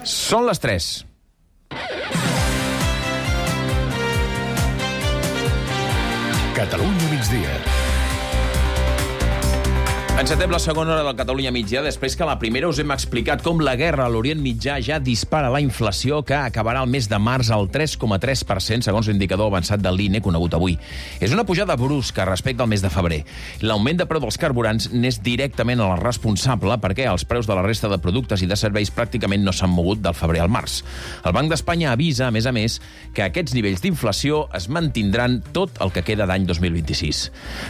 Són les 3. Catalunya migdia. Encetem la segona hora del Catalunya migdia després que a la primera us hem explicat com la guerra a l'Orient Mitjà ja dispara la inflació, que acabarà el mes de març al 3,3%, segons l'indicador avançat de l'INE conegut avui. És una pujada brusca respecte al mes de febrer. L'augment de preu dels carburants n'és directament el responsable, perquè els preus de la resta de productes i de serveis pràcticament no s'han mogut del febrer al març. El Banc d'Espanya avisa, a més, que aquests nivells d'inflació es mantindran tot el que queda d'any 2026.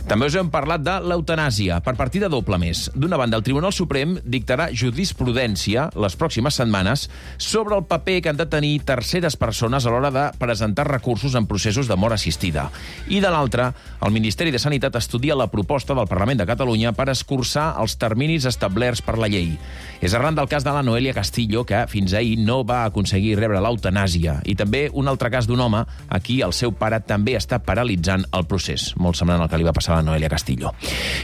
També us hem parlat de l'eutanàsia, per partida doble més. D'una banda, el Tribunal Suprem dictarà jurisprudència les pròximes setmanes sobre el paper que han de tenir terceres persones a l'hora de presentar recursos en processos de mort assistida. I de l'altra, el Ministeri de Sanitat estudia la proposta del Parlament de Catalunya per escurçar els terminis establerts per la llei. És arran del cas de la Noelia Castillo, que fins ahir no va aconseguir rebre l'eutanàsia, i també un altre cas d'un home a qui el seu pare també està paralitzant el procés, molt semblant al que li va passar a la Noelia Castillo.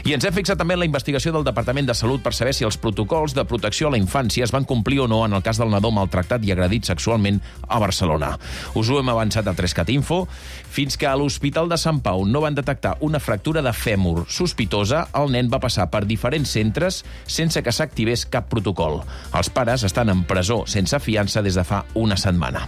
I ens hem fixat també en la investigació del Departament de Salut per saber si els protocols de protecció a la infància es van complir o no en el cas del nadó maltractat i agredit sexualment a Barcelona. Us ho hem avançat a 3CAT Info. Fins que a l'Hospital de Sant Pau no van detectar una fractura de fèmur sospitosa, el nen va passar per diferents centres sense que s'activés cap protocol. Els pares estan en presó sense fiança des de fa una setmana.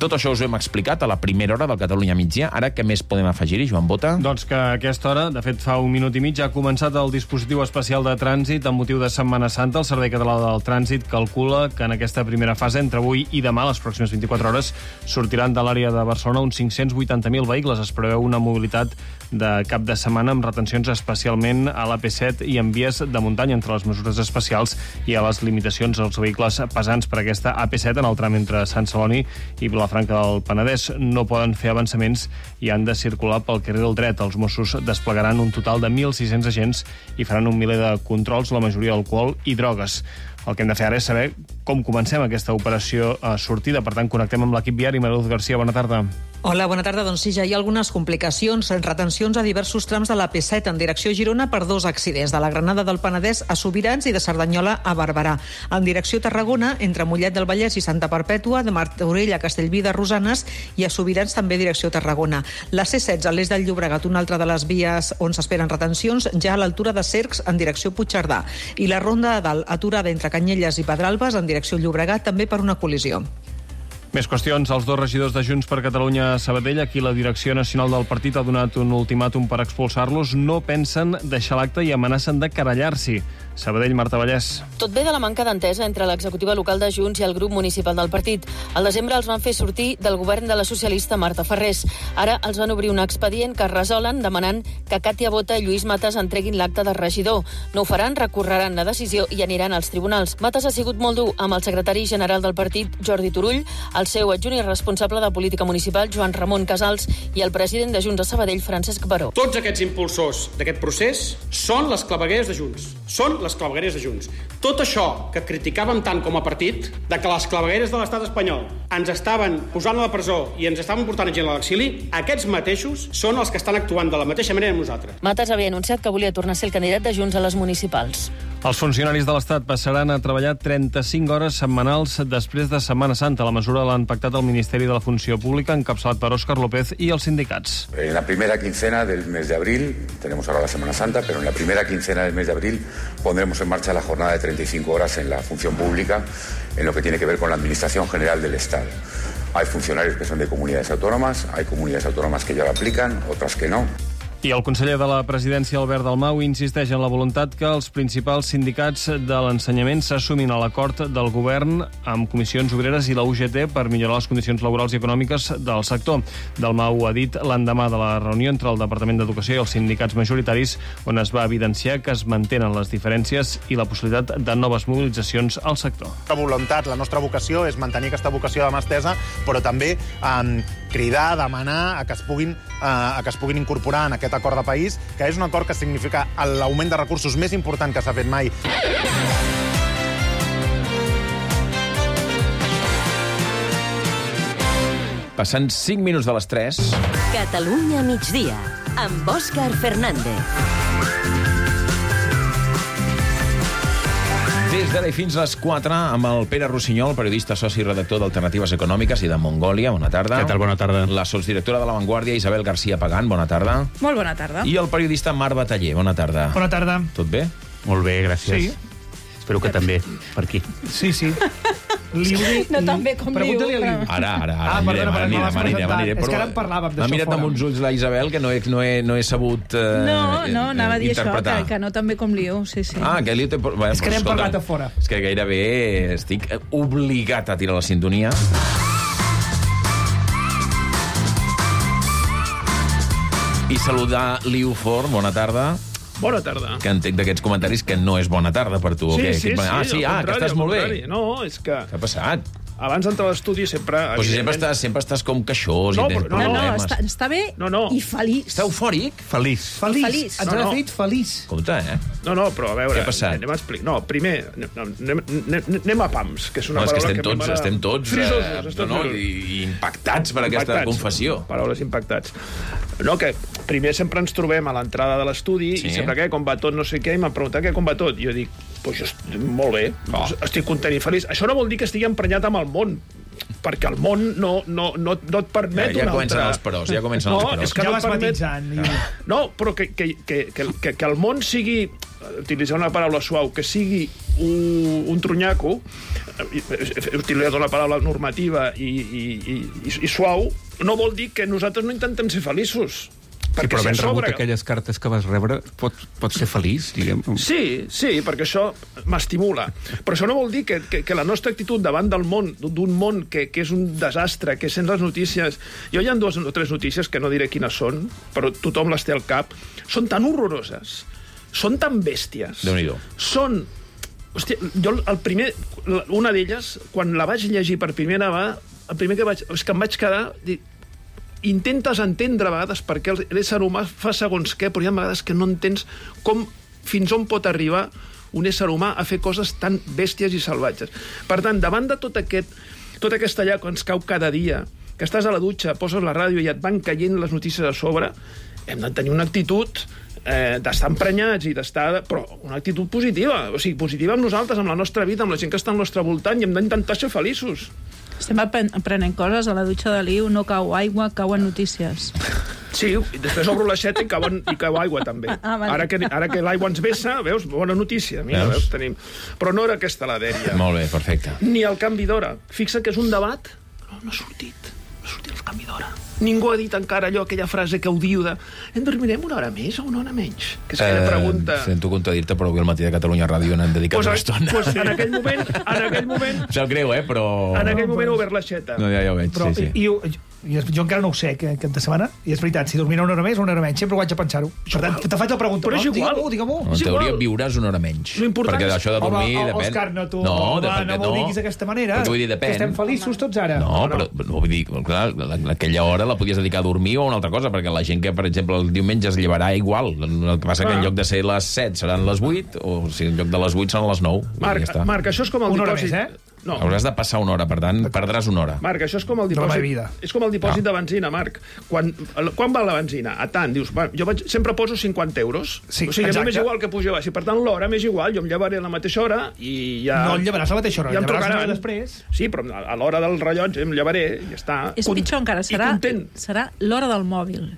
Tot això us ho hem explicat a la primera hora del Catalunya migdia. Ara, què més podem afegir-hi, Joan Bota? Doncs que a aquesta hora, de fet fa un minut i mig, ha començat el dispositiu especial de trànsit amb motiu de Setmana Santa. El Servei Català del Trànsit calcula que en aquesta primera fase, entre avui i demà, les pròximes 24 hores, sortiran de l'àrea de Barcelona uns 580.000 vehicles. Es preveu una mobilitat de cap de setmana amb retencions especialment a l'AP7 i en vies de muntanya, entre les mesures especials i a les limitacions als vehicles pesants per aquesta AP7 en el tram entre Sant Celoni i Vilafranca del Penedès. No poden fer avançaments i han de circular pel carril dret. Els Mossos desplegaran un total de 1.600 agents i faran un miler de controls, la majoria d'alcohol i drogues. El que hem de fer ara és saber com comencem aquesta operació sortida. Per tant, connectem amb l'equip viari. Mariluz Garcia, bona tarda. Hola, bona tarda. Doncs sí, ja hi ha algunes complicacions, retencions a diversos trams de l'AP7 en direcció a Girona per dos accidents, de la Granada del Penedès a Sobirans i de Cerdanyola a Barberà. En direcció a Tarragona, entre Mollet del Vallès i Santa Perpètua, de Martorell a Castellví de Rosanes i a Sobirans també direcció a Tarragona. La C16 a l'est del Llobregat, una altra de les vies on s'esperen retencions, ja a l'altura de Cercs en direcció a Puigcerdà. I la Ronda de Dalt, aturada entre Canyelles i Pedralbes en direcció a Llobregat, també per una col·lisió. Més qüestions. Els dos regidors de Junts per Catalunya a Sabadell, aquí la direcció nacional del partit ha donat un ultimàtum per expulsar-los, no pensen deixar l'acte i amenacen de querellar-s'hi. Sabadell, Marta Vallès. Tot ve de la manca d'entesa entre l'executiva local de Junts i el grup municipal del partit. Al desembre els van fer sortir del govern de la socialista Marta Ferrés. Ara els van obrir un expedient que es resolen demanant que Càtia Bota i Lluís Matas entreguin l'acte de regidor. No ho faran, recorreran la decisió i aniran als tribunals. Matas ha sigut molt dur amb el secretari general del partit, Jordi Turull, el seu adjunt i responsable de política municipal, Joan Ramon Casals, i el president de Junts a Sabadell, Francesc Baró. Tots aquests impulsors d'aquest procés són les clavegueres de Junts. Són les clavegueres de Junts. Tot això que criticàvem tant com a partit, de que les clavegueres de l'estat espanyol ens estaven posant a la presó i ens estaven portant gent a l'exili, aquests mateixos són els que estan actuant de la mateixa manera amb nosaltres. Matas havia anunciat que volia tornar a ser el candidat de Junts a les municipals. Els funcionaris de l'Estat passaran a treballar 35 hores setmanals després de Setmana Santa. La mesura l'han pactat el Ministeri de la Funció Pública, encapçalat per Òscar López i els sindicats. En la primera quincena del mes de abril, tenemos ahora la Semana Santa, pero en la primera quincena del mes de abril pondremos en marcha la jornada de 35 horas en la función pública, en lo que tiene que ver con la Administración General del Estado. Hay funcionarios que son de comunidades autónomas, hay comunidades autónomas que ya lo aplican, otras que no. I el conseller de la Presidència, Albert Dalmau, insisteix en la voluntat que els principals sindicats de l'ensenyament s'assumin a l'acord del govern amb Comissions Obreres i la UGT per millorar les condicions laborals i econòmiques del sector. Dalmau ha dit l'endemà de la reunió entre el Departament d'Educació i els sindicats majoritaris, on es va evidenciar que es mantenen les diferències i la possibilitat de noves mobilitzacions al sector. La voluntat, la nostra vocació és mantenir aquesta vocació de mà estesa, però també cridar, demanar que es puguin incorporar en aquest acord de país, que és un acord que significa l'augment de recursos més important que s'ha fet mai. Passant 5 minuts de les 3. Catalunya migdia, amb Òscar Fernández. Des d'ara i fins a les 4 amb el Pere Rossinyol, periodista soci i redactor d'Alternatives Econòmiques i de Mongòlia. Bona tarda. Què tal? Bona tarda. La sotsdirectora de La Vanguardia, Isabel García Pagán. Bona tarda. Molt bona tarda. I el periodista Marc Bataller. Bona tarda. Bona tarda. Tot bé? Molt bé, gràcies. Sí. Espero que també, per aquí. Sí. No tan bé com Pregunta-li a Liu, Liu. Ara perdona, anirem. és que ara en parlàvem d'això M'ha mirat fora. amb uns ulls la Isabel que no he sabut No, anava a dir això, interpretar. que no tan bé com Liu, sí. Ah, que Liu té... Bueno, És que n'hem escolta, parlat a fora. És que gairebé estic obligat a tirar la sintonia. I saludar Liu Forn, bona tarda. Bona tarda. Que entenc d'aquests comentaris que no és bona tarda per tu. o què? Sí, Que estàs molt bé. No, és que Què ha passat? abans d'entrar a l'estudi sempre... Però si sempre estàs com queixós No, i tens però no, problemes. Està bé No. i feliç. Està eufòric? Feliç. Feliç. Ens ha fet feliç. Compte, No, però a veure... Què ha passat? Anem a explicar. No, primer, anem a pams, que és una No, és que paraula estem tots frisosos, i impactats per aquesta confessió. Paraules impactats. No, que primer sempre ens trobem a l'entrada de l'estudi Sí. i sempre com va tot, no sé què, i m'han preguntat com va tot. I jo dic, pues jo molt bé, estic content i feliç. Això no vol dir que estigui emprenyat amb el món, perquè el món no et permet Ja una comencen altra... els peròs, ja comencen els peròs. És que Ja no vas et permet... matitzant. No, però que el món sigui, utilitzar una paraula suau, que sigui un trunyaco, utilitzar una paraula normativa i suau, no vol dir que nosaltres no intentem ser feliços. Sí, però ben rebut aquelles cartes que vas rebre, pots ser feliç, diguem. Sí, perquè això m'estimula. Però això no vol dir que la nostra actitud davant del món, d'un món que és un desastre, que sent les notícies... Jo hi ha 2 o 3 notícies, que no diré quines són, però tothom les té al cap, són tan horroroses, són tan bèsties. Déu-n'hi-do. Són... Hòstia, jo una d'elles, quan la vaig llegir per primera vegada, el primer que vaig... És que em vaig quedar... Intentes entendre a vegades per què l'ésser humà fa segons què, però hi ha vegades que no entens fins on pot arribar un ésser humà a fer coses tan bèsties i salvatges. Per tant, davant de tota aquesta lla que ens cau cada dia, que estàs a la dutxa, poses la ràdio i et van caient les notícies a sobre, hem de tenir una actitud d'estar emprenyats i d'estar... Però una actitud positiva, o sigui, positiva amb nosaltres, amb la nostra vida, amb la gent que està al nostre voltant, i hem d'intentar ser feliços. Estem aprenent coses a la dutxa de Liu, no cau aigua, cauen notícies. Sí, i després obro l'aixeta i cau aigua, també. Vale. Ara que l'aigua ens vessa, veus? Bona notícia. Mira, veus? Tenim... Però no era aquesta la dèria. Molt bé, perfecte. Ni el canvi d'hora. Fixa que és un debat... No ha sortit el canvi d'hora. Ningú ha dit encara aquella frase que ho diu de en dormirem una hora més o una hora menys? Que és aquella pregunta... Sento contradir-te, però avui al matí de Catalunya Ràdio n'han dedicat una estona. Pues en aquell moment... Em sap greu, però... En aquell moment he obert l'aixeta. No, ja ho veig, Però, sí. jo encara no ho sé, que de setmana, i és veritat, si dormirà una hora més o una hora menys, sempre ho haig de pensar-ho. Per tant, te faig la pregunta. Però és igual. Digue-m'ho. En teoria viuràs una hora menys. Perquè d'això de dormir depèn. Òscar, no m'ho diguis d'aquesta manera. Perquè vull dir, depèn. Que estem feliços tots ara. No, però vull dir, clar, aquella hora la podies dedicar a dormir o a una altra cosa, perquè la gent que, per exemple, el diumenge es llevarà igual. El que passa que en lloc de ser les 7 seran les 8, o si en lloc de les 8 seran les 9. Marc, això és com el una dipòsit... hora més, No. Hauràs de passar una hora, per tant, perdràs una hora. Marc, això és com el dipòsit, és com el dipòsit de benzina, Marc. Quan val la benzina? A tant, dius, jo sempre poso 50 euros. Sí, o sigui, exacte. a mi m'és igual que pugi o baixi. Per tant, l'hora m'és igual, jo em llevaré a la mateixa hora i ja... No el llevaràs a la mateixa hora, ja el em llevaràs una trucaran hora després. Sí, però a l'hora del rellotge em llevaré i ja està. És pitjor encara, serà l'hora del mòbil.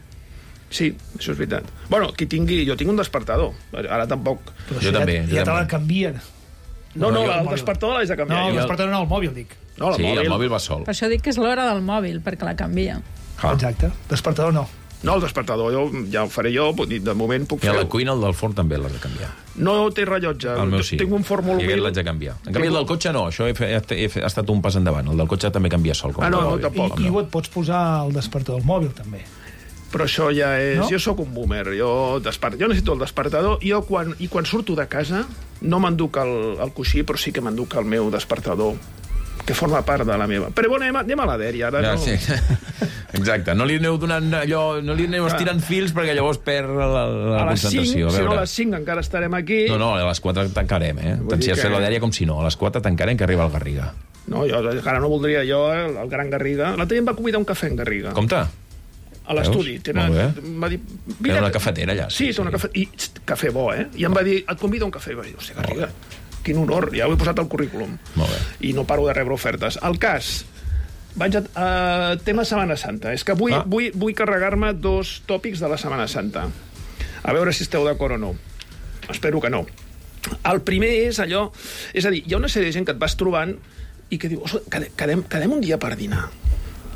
Sí, això és veritat. Bueno, jo tinc un despertador. Ara tampoc... Jo també. Ja te la canvien. No, el despertador l'haig de canviar. No, el despertador no, el mòbil, dic. No, sí, el mòbil va sol. Per això dic que és l'hora del mòbil, perquè la canvia. Exacte. Despertador no. No, el despertador ja ho faré jo, de moment puc fer... I a la cuina el del forn també l'has de canviar. No té rellotge. El meu sí. Tinc un forn molt humil. I aquest l'haig de canviar. En canvi, el del cotxe no, això ha estat un pas endavant. El del cotxe també canvia sol. No, tampoc. I et pots posar el despertador al mòbil, també. Però això ja és... No? Jo sóc un boomer, jo necessito el despertador, i quan surto de casa no m'enduc el coixí, però sí que m'enduc el meu despertador, que forma part de la meva. Però bueno, anem a la dèria, ara no... Sí. Exacte, no li aneu donant allò, no li aneu estirant fils perquè llavors perd la concentració. Si no a les 5 encara estarem aquí... No, a les 4 tancarem, Tant si has fet la dèria com si no. A les 4 tancarem que arriba el Garriga. No, jo encara no voldria el gran Garriga. L'altre dia em va convidar un cafè en Garriga. Compte. A l'estudi. Va dir, té una cafetera allà. Sí, té una cafetera. I cafè bo, I em va dir, et convido a un cafè. I va dir, hòstia, Garriga, quin honor, ja ho he posat al currículum. Molt bé. I no paro de rebre ofertes. El cas, vaig a tema Setmana Santa. És que vull carregar-me 2 tòpics de la Setmana Santa. A veure si esteu d'acord o no. Espero que no. El primer és allò... És a dir, hi ha una sèrie de gent que et vas trobant i que diu, quedem un dia per dinar.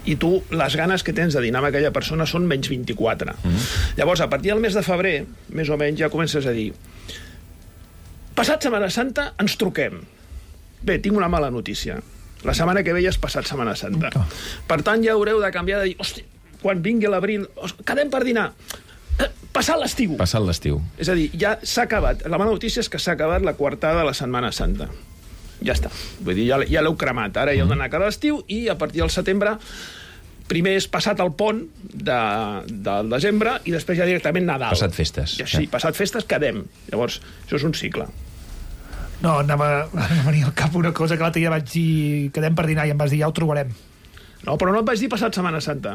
I tu, les ganes que tens de dinar amb aquella persona són menys 24. Llavors, a partir del mes de febrer, més o menys, ja comences a dir passat Setmana Santa ens truquem. Bé, tinc una mala notícia. La setmana que ve ja és passat Setmana Santa. Per tant, ja haureu de canviar de dir, hòstia, quan vingui l'abril, quedem per dinar. Passat l'estiu. Passat l'estiu. És a dir, ja s'ha acabat. La mala notícia és que s'ha acabat la coartada de la Setmana Santa. Ja està. Vull dir, ja l'heu cremat. Ara ja heu d'anar a cada l'estiu i a partir del setembre primer és passat el pont del desembre i després ja directament Nadal. Passat festes. Sí, passat festes quedem. Llavors, això és un cicle. No, anava a venir al cap una cosa que l'altre dia vaig dir quedem per dinar i em vas dir ja ho trobarem. No, però no et vaig dir passat Setmana Santa.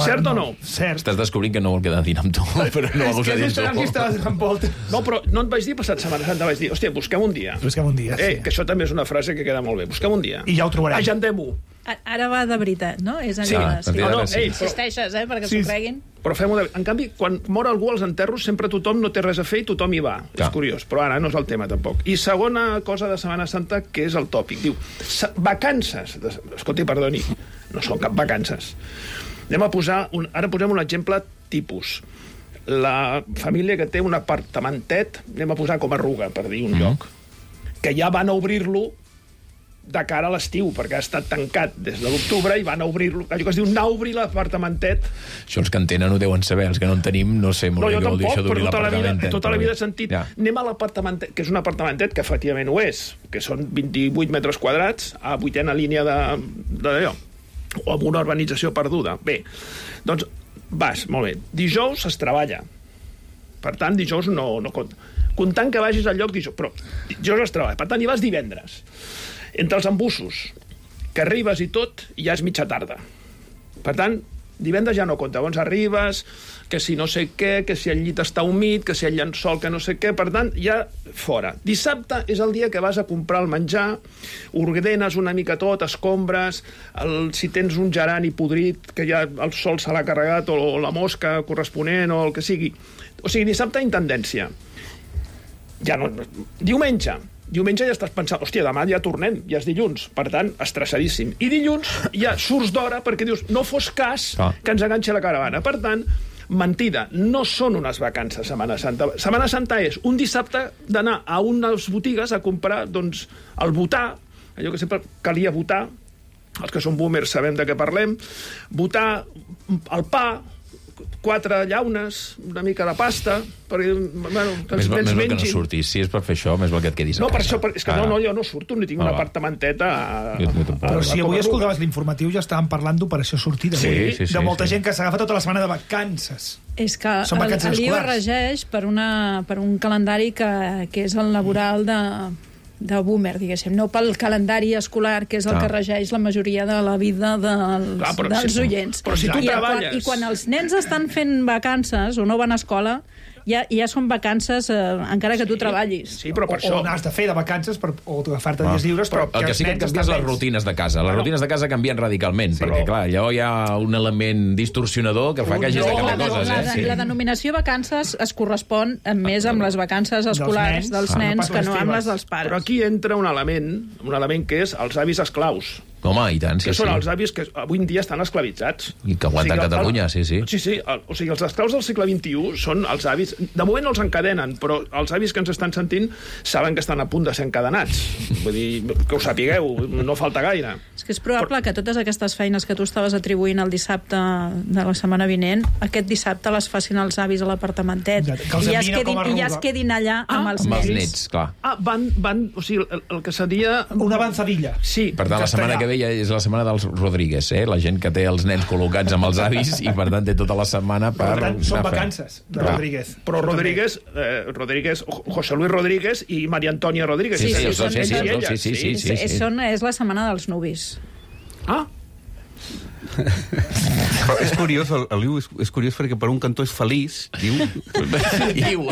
Cert o no? Cert. Estàs descobrint que no vol quedar a dinar amb tu, però no ho És que estaves donant voltes. No, però no et vaig dir passat Setmana Santa, vaig dir, hòstia, busquem un dia. Busquem un dia, sí. Que això també és una frase que queda molt bé. Busquem un dia. I ja ho trobarem. Agendem-ho. Ara va de veritat, no? És Sí. allò Sí. No, insisteixes, perquè s'ho creguin. Però fem-ho de... En canvi, quan mor algú als enterros, sempre tothom no té res a fer i tothom hi va. És curiós, però ara no és el tema, tampoc. I segona cosa de Setmana Santa, que és el tòpic. Diu, vacances. Escolti, perdoni, no són cap vacances. Anem a posar... Ara posem un exemple tipus. La família que té un apartamentet, anem a posar com a Ruga, per dir un lloc, que ja van a obrir-lo de cara a l'estiu, perquè ha estat tancat des de l'octubre i van a obrir-lo, allò que es diu anar a obrir l'apartamentet. Això els que en tenen ho deuen saber, els que no en tenim no sé molt bé què vol dir això d'obrir l'apartamentet. Tota la vida he sentit, anem a l'apartamentet, que és un apartamentet que efectivament ho és, que són 28 metres quadrats a 8a línia d'allò, o amb una urbanització perduda. Bé, doncs vas, molt bé. Dijous es treballa. Per tant, dijous no compta. Comptant que vagis al lloc dijous, però dijous es treballa. Per tant, hi vas divendres. Entre els embussos, que arribes i tot, ja és mitja tarda. Per tant, divendres ja no compta. Llavors arribes, que si no sé què, que si el llit està humit, que si el llençol, que no sé què, per tant, ja fora. Dissabte és el dia que vas a comprar el menjar, ordenes una mica tot, escombres, si tens un gerani podrit, que ja el sol se l'ha carregat, o la mosca corresponent, o el que sigui. O sigui, dissabte intendència. Ja no... Diumenge ja estàs pensant, hòstia, demà ja tornem, ja és dilluns, per tant, estressadíssim. I dilluns ja surts d'hora perquè dius, no fos cas que ens enganxi la caravana. Per tant, mentida, no són unes vacances Setmana Santa. Setmana Santa és un dissabte d'anar a unes botigues a comprar, doncs, el botar, allò que sempre calia votar, els que són boomers sabem de què parlem, votar el pa, 4 llaunes, una mica de pasta, perquè, bueno, que els nens mengin. Que no surtis. Si és per fer això, més val que et quedis a casa. No, per això, és que jo no surto, ni tinc un apartamentet Però si avui escoltaves l'informatiu ja estàvem parlant d'operació sortida. De molta gent que s'agafa tota la setmana de vacances. És que el LIO regeix per un calendari que és el laboral de boomer, diguéssim, no pel calendari escolar, que és el que regeix la majoria de la vida dels oients. Però si tu treballes... I quan els nens estan fent vacances o no van a escola, ja són vacances encara que tu treballis. Sí, però per això... O n'has de fer de vacances o agafar-te dies lliures, però el que sí que canvia és les rutines de casa. Les rutines de casa canvien radicalment, perquè, clar, allò hi ha un element distorsionador que fa que hagis de canviar coses. La denominació vacances es correspon més amb les vacances escolars dels nens que no amb les dels pares. Però aquí entra un element que és els avis esclaus. Home, i tant, sí, que són els avis que avui en dia estan esclavitzats. I que aguanten Catalunya, sí. Sí, o sigui, els esclaus del segle XXI són els avis... De moment no els encadenen, però els avis que ens estan sentint saben que estan a punt de ser encadenats. Vull dir, que ho sapigueu, no falta gaire. És que és probable que totes aquestes feines que tu estaves atribuint el dissabte de la setmana vinent, aquest dissabte les facin els avis a l'apartamentet. I ja es quedin allà amb els nens. Amb els nets, clar. Van, o sigui, el que seria... Una avanzadilla. Sí. Per tant, la setmana que ve ja és la setmana dels Rodríguez, la gent que té els nens col·locats amb els avis i, per tant, té tota la setmana per... Per tant, són vacances de Rodríguez. Però Rodríguez, José Luis Rodríguez i María Antonia Rodríguez. Sí. És la setmana dels nuvis. Però és curiós, el Liu és curiós perquè per un cantó és feliç, diu,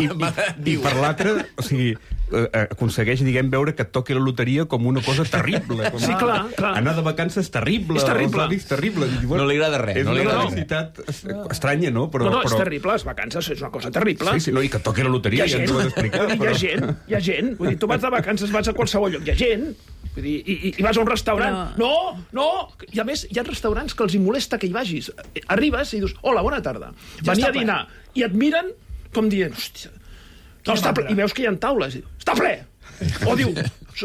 i per l'altre, o sigui, aconsegueix, diguem, veure que et toqui la loteria com una cosa terrible. Com sí, clar. Anar de vacances terrible. És terrible. terrible. No li agrada res. És una felicitat estranya, no? Però és terrible, les vacances és una cosa terrible. Sí, i que et toqui la loteria, ja ens ho has d'explicar. Hi ha gent. Vull dir, tu vas de vacances, vas a qualsevol lloc, hi ha gent. Vull dir, i vas a un restaurant. No! I a més, hi ha restaurants que els hi molesta que hi vagis. Arribes i dius, hola, bona tarda. Venia a dinar. I et miren com dient, hòstia, està ple. I veus que hi ha taules. Està ple! O diu,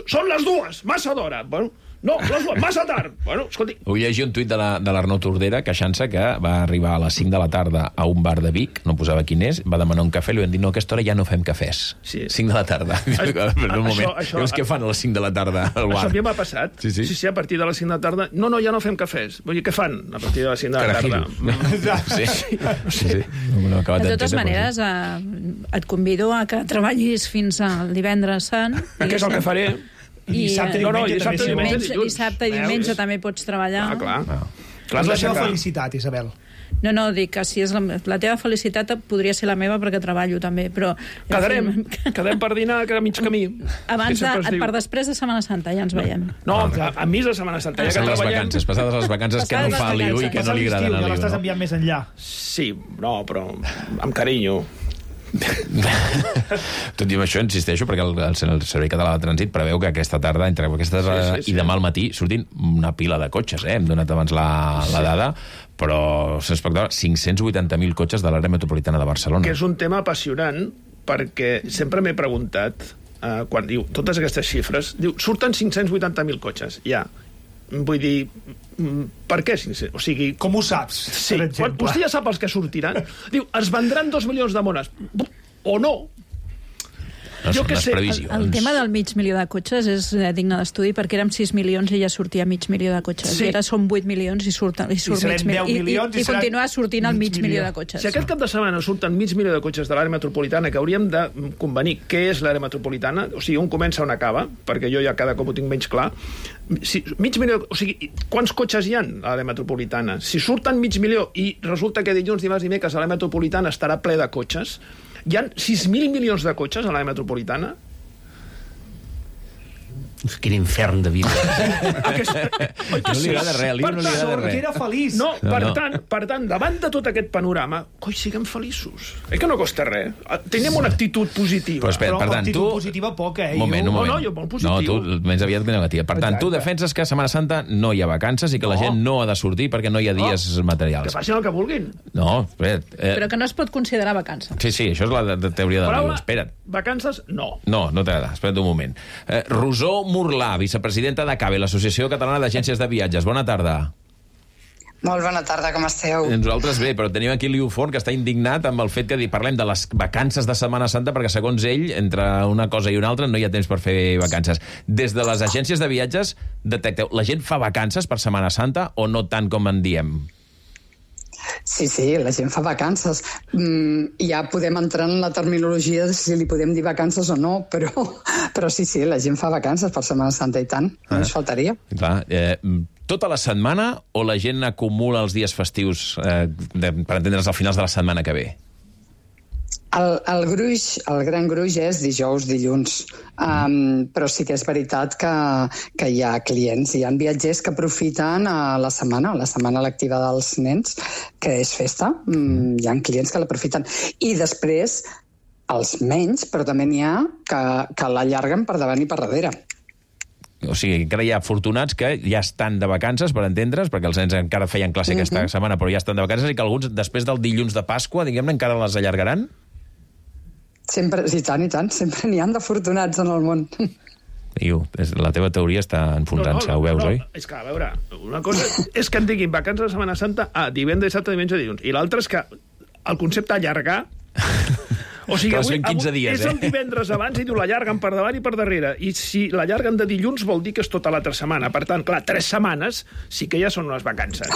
són les 2, massa d'hora. Bueno, no, les 2, massa tard. Bueno, escolti... Vull llegir un tuit de l'Arnau Tordera queixant-se que va arribar a les 5 de la tarda a un bar de Vic, no posava quin és, va demanar un cafè, li van dir, no, a aquesta hora ja no fem cafès. Sí. 5 de la tarda. Un moment. Llavors, què fan a les 5 de la tarda al bar? Això a mi m'ha passat. Sí, a partir de les 5 de la tarda... No, ja no fem cafès. Vull dir, què fan a partir de les 5 de la tarda? Sí. De totes maneres, et convido a que treballis fins al divendres sant. Que és el que faré. Dissabte i diumenge també pots treballar. Clar. És la teva felicitat, Isabel. No, dic que si és la teva felicitat podria ser la meva perquè treballo també, però... Quedem per dinar a mig camí. Per després de Setmana Santa, ja ens veiem. No, a mi de Setmana Santa, ja que treballem... Passades les vacances, que no fa el Liu i que no li agrada el Liu. Ja l'estàs enviant més enllà. Sí, no, però amb carinyo. Tot i això, insisteixo, perquè el Servei Català de Trànsit preveu que aquesta tarda, entre aquestes i demà al matí, surtin una pila de cotxes, hem donat abans la dada, però s'espectacle 580.000 cotxes de l'àrea metropolitana de Barcelona. Que és un tema apassionant, perquè sempre m'he preguntat, quan diu totes aquestes xifres, diu, surten 580.000 cotxes, ja. Vull dir, per què? O sigui... Com ho saps, sí, per exemple? Vostè ja sap els que sortiran. Diu, es vendran 2 milions de mones. O no. Jo què sé. El tema del mig milió de cotxes és digne d'estudi, perquè érem 6 milions i ja sortia mig milió de cotxes. I ara són 8 milions i surt mig milió. I continua sortint el mig milió de cotxes. Si aquest cap de setmana surten mig milió de cotxes de l'àrea metropolitana, que hauríem de convenir què és l'àrea metropolitana, o sigui, on comença on acaba, perquè jo ja cada cop ho tinc menys clar. Mig milió, o sigui, quants cotxes hi ha a l'àrea metropolitana? Si surten mig milió i resulta que dilluns, dimarts i dimecres a l'àrea metropolitana estarà ple de cotxes, hi ha 6.000 milions de cotxes a l'àrea metropolitana? Quin infern de vida. No li agrada res, no li agrada res. Que era feliç. No, per tant, davant de tot aquest panorama, coi, siguem feliços. Que no costa res. Tenim una actitud positiva. Però espera, per tant, tu... positiva poca, Un moment. No, jo molt positiu. No, tu menys aviat que negativa. Per tant, tu defenses que a Setmana Santa no hi ha vacances i que la gent no ha de sortir perquè no hi ha dies materials. Que facin el que vulguin. No, espera. Però que no es pot considerar vacança. Sí, això és la teoria de Liu. Espera't. Vacances, no. No t'agrada. Espera't un moment. Rosó Murlà, vicepresidenta d'ACABE, l'Associació Catalana d'Agències de Viatges. Bona tarda. Molt bona tarda, com esteu? Nosaltres bé, però tenim aquí Liu Forn, que està indignat amb el fet que parlem de les vacances de Setmana Santa, perquè segons ell, entre una cosa i una altra, no hi ha temps per fer vacances. Des de les agències de viatges, detecteu, la gent fa vacances per Setmana Santa o no tant com en diem? Sí, la gent fa vacances. Ja podem entrar en la terminologia de si li podem dir vacances o no, però sí, la gent fa vacances per Setmana Santa i tant, només faltaria. Clar, tota la setmana o la gent acumula els dies festius, per entendre's, al finals de la setmana que ve? El gran gruix és dijous, dilluns, però sí que és veritat que hi ha clients, hi ha viatgers que aprofiten la setmana lectiva dels nens, que és festa, hi ha clients que l'aprofiten. I després, els menys, però també n'hi ha que l'allarguen per davant i per darrere. O sigui, encara hi ha afortunats que ja estan de vacances, per entendre's, perquè els nens encara feien classe aquesta setmana, però ja estan de vacances, i que alguns, després del dilluns de Pasqua, diguem-ne, encara les allargaran? Sempre, i tant, sempre n'hi ha d'afortunats en el món. Iu, la teva teoria està enfonsant-se, ho veus, oi? És que, a veure, una cosa és que en diguin vacances de Setmana Santa divendres, dissabte, diumenge, dilluns, i l'altra és que el concepte allargar... O sigui, avui és el divendres abans i diu l'allarguen per davant i per darrere. I si l'allarguen de dilluns vol dir que és tota l'altra setmana. Per tant, clar, 3 setmanes sí que ja són unes vacances.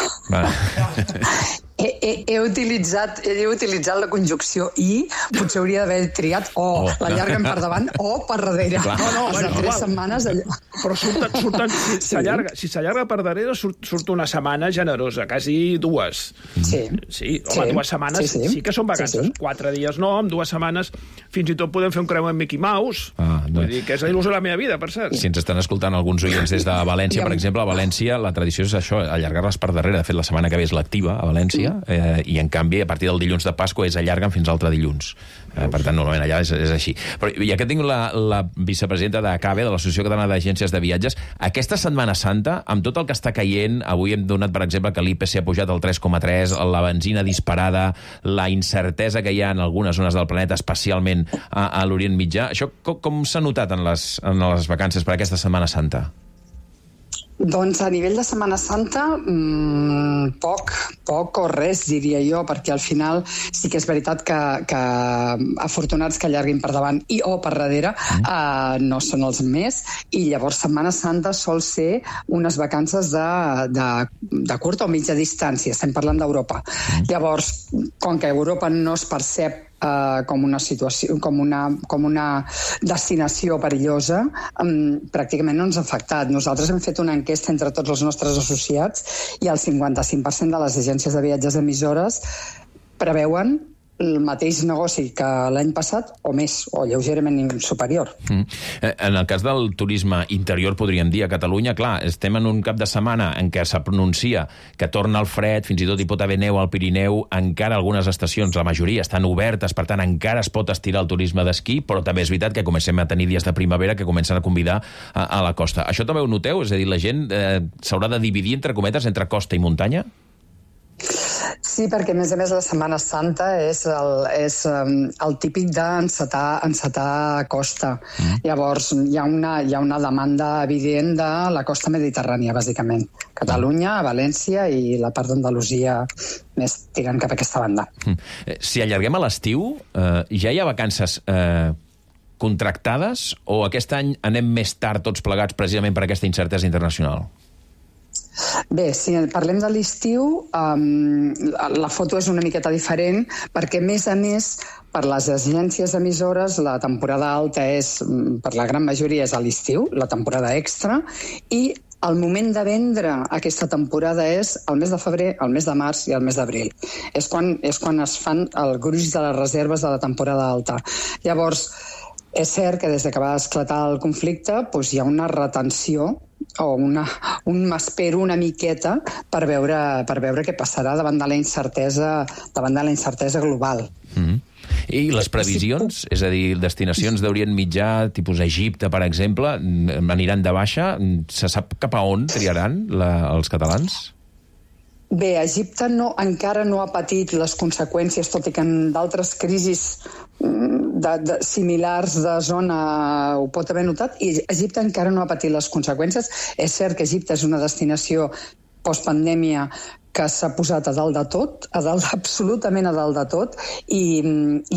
He utilitzat la conjunció i potser hauria d'haver triat l'allarguen per davant o per darrere. No, les 3 setmanes... Però surten si s'allarga per darrere surt una setmana generosa, quasi 2. Sí, 2 setmanes sí que són vacances. 4 dies no, amb 2 setmanes fins i tot podem fer un creu amb Mickey Mouse. Vull dir que és la il·lusió de la meva vida, per cert. Si ens estan escoltant alguns oients des de València, per exemple, a València la tradició és això, allargar-les per darrere. De fet, la setmana que ve és l'activa a València, i en canvi a partir del dilluns de Pasqua allarguen fins l'altre dilluns. Per tant, normalment allà és així. Però ja que tinc la vicepresidenta d'ACABE, de l'Associació Catalana d'Agències de Viatges, aquesta Setmana Santa, amb tot el que està caient, avui hem donat, per exemple, que l'IPC ha pujat al 3,3, la benzina disparada, la incertesa que hi ha en algunes zones del planeta, especialment a l'Orient Mitjà, això com s'ha notat en les vacances per aquesta Setmana Santa? Doncs a nivell de Setmana Santa, poc o res, diria jo, perquè al final sí que és veritat que afortunats que allarguin per davant o per darrere no són els més, i llavors Setmana Santa sol ser unes vacances de curta o mitja distància, estem parlant d'Europa. Llavors, com que Europa no es percep com una situació, com una destinació perillosa, pràcticament no ens ha afectat. Nosaltres hem fet una enquesta entre tots els nostres associats i el 55% de les agències de viatges emissores preveuen el mateix negoci que l'any passat o més, o lleugerament superior. En el cas del turisme interior, podríem dir, a Catalunya, clar, estem en un cap de setmana en què se pronuncia que torna el fred, fins i tot hi pot haver neu al Pirineu, encara algunes estacions, la majoria, estan obertes, per tant, encara es pot estirar el turisme d'esquí, però també és veritat que comencem a tenir dies de primavera que comencen a convidar a la costa. Això també ho noteu? És a dir, la gent s'haurà de dividir, entre cometes, entre costa i muntanya? Sí, perquè a més la Setmana Santa és el típic d'encetar a costa. Llavors hi ha una demanda evident de la costa mediterrània, bàsicament. Catalunya, València i la part d'Andalusia més tirant cap a aquesta banda. Si allarguem a l'estiu, ja hi ha vacances contractades o aquest any anem més tard tots plegats precisament per aquesta incertesa internacional? Bé, si parlem de l'estiu, la foto és una miqueta diferent perquè, a més, per les agències emissores, la temporada alta per la gran majoria és a l'estiu, la temporada extra, i el moment de vendre aquesta temporada és el mes de febrer, el mes de març i el mes d'abril. És quan es fan el gruix de les reserves de la temporada alta. Llavors, és cert que des que va esclatar el conflicte hi ha una retenció o m'espero una miqueta per veure què passarà davant de la incertesa global. I les previsions? És a dir, destinacions d'Orient Mitjà, tipus Egipte, per exemple, aniran de baixa? Se sap cap a on triaran els catalans? Bé, Egipte encara no ha patit les conseqüències, tot i que en d'altres crisis similars de zona ho pot haver notat, i Egipte encara no ha patit les conseqüències. És cert que Egipte és una destinació postpandèmia que s'ha posat a dalt de tot, absolutament a dalt de tot, i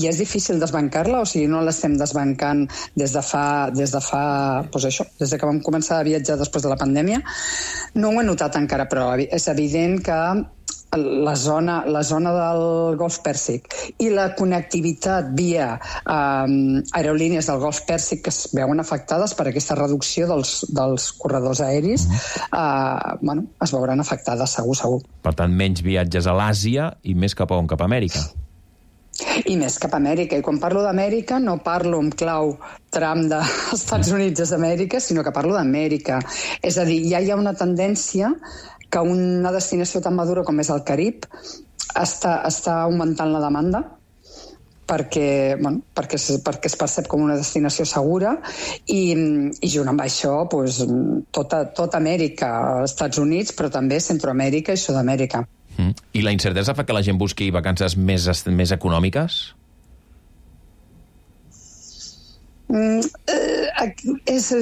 és difícil desbancar-la, o sigui, no l'estem desbancant des de fa des que vam començar a viatjar després de la pandèmia. No ho he notat encara, però és evident que la zona del Golf Pèrsic i la connectivitat via aerolínies del Golf Pèrsic que es veuen afectades per aquesta reducció dels corredors aeris, es veuran afectades, segur. Per tant, menys viatges a l'Àsia i més cap a on? Cap a Amèrica? I més cap a Amèrica. I quan parlo d'Amèrica no parlo en clau Trump dels Estats Units d'Amèrica, sinó que parlo d'Amèrica. És a dir, ja hi ha una tendència que una destinació tan madura com és el Carib està augmentant la demanda perquè es percep com una destinació segura i junt amb això tota Amèrica, Estats Units, però també Centroamèrica i Sud-amèrica. I la incertesa fa que la gent busqui vacances més econòmiques? Aquesta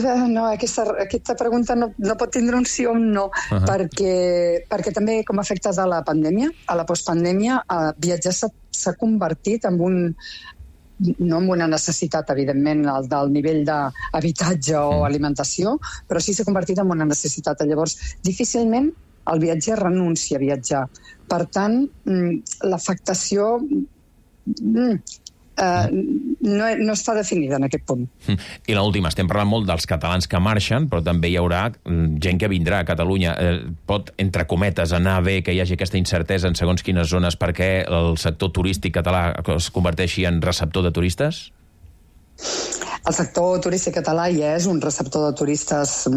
pregunta no pot tindre un sí o un no, perquè també com a efecte de la pandèmia, a la postpandèmia, viatjar s'ha convertit en no en una necessitat, evidentment, del nivell d'habitatge o alimentació, però sí s'ha convertit en una necessitat. Llavors, difícilment el viatger renuncia a viatjar. Per tant, l'afectació no està definida en aquest punt. I l'última, estem parlant molt dels catalans que marxen, però també hi haurà gent que vindrà a Catalunya. Pot, entre cometes, anar bé que hi hagi aquesta incertesa en segons quines zones perquè el sector turístic català es converteixi en receptor de turistes? El sector turístic català ja és un receptor de turistes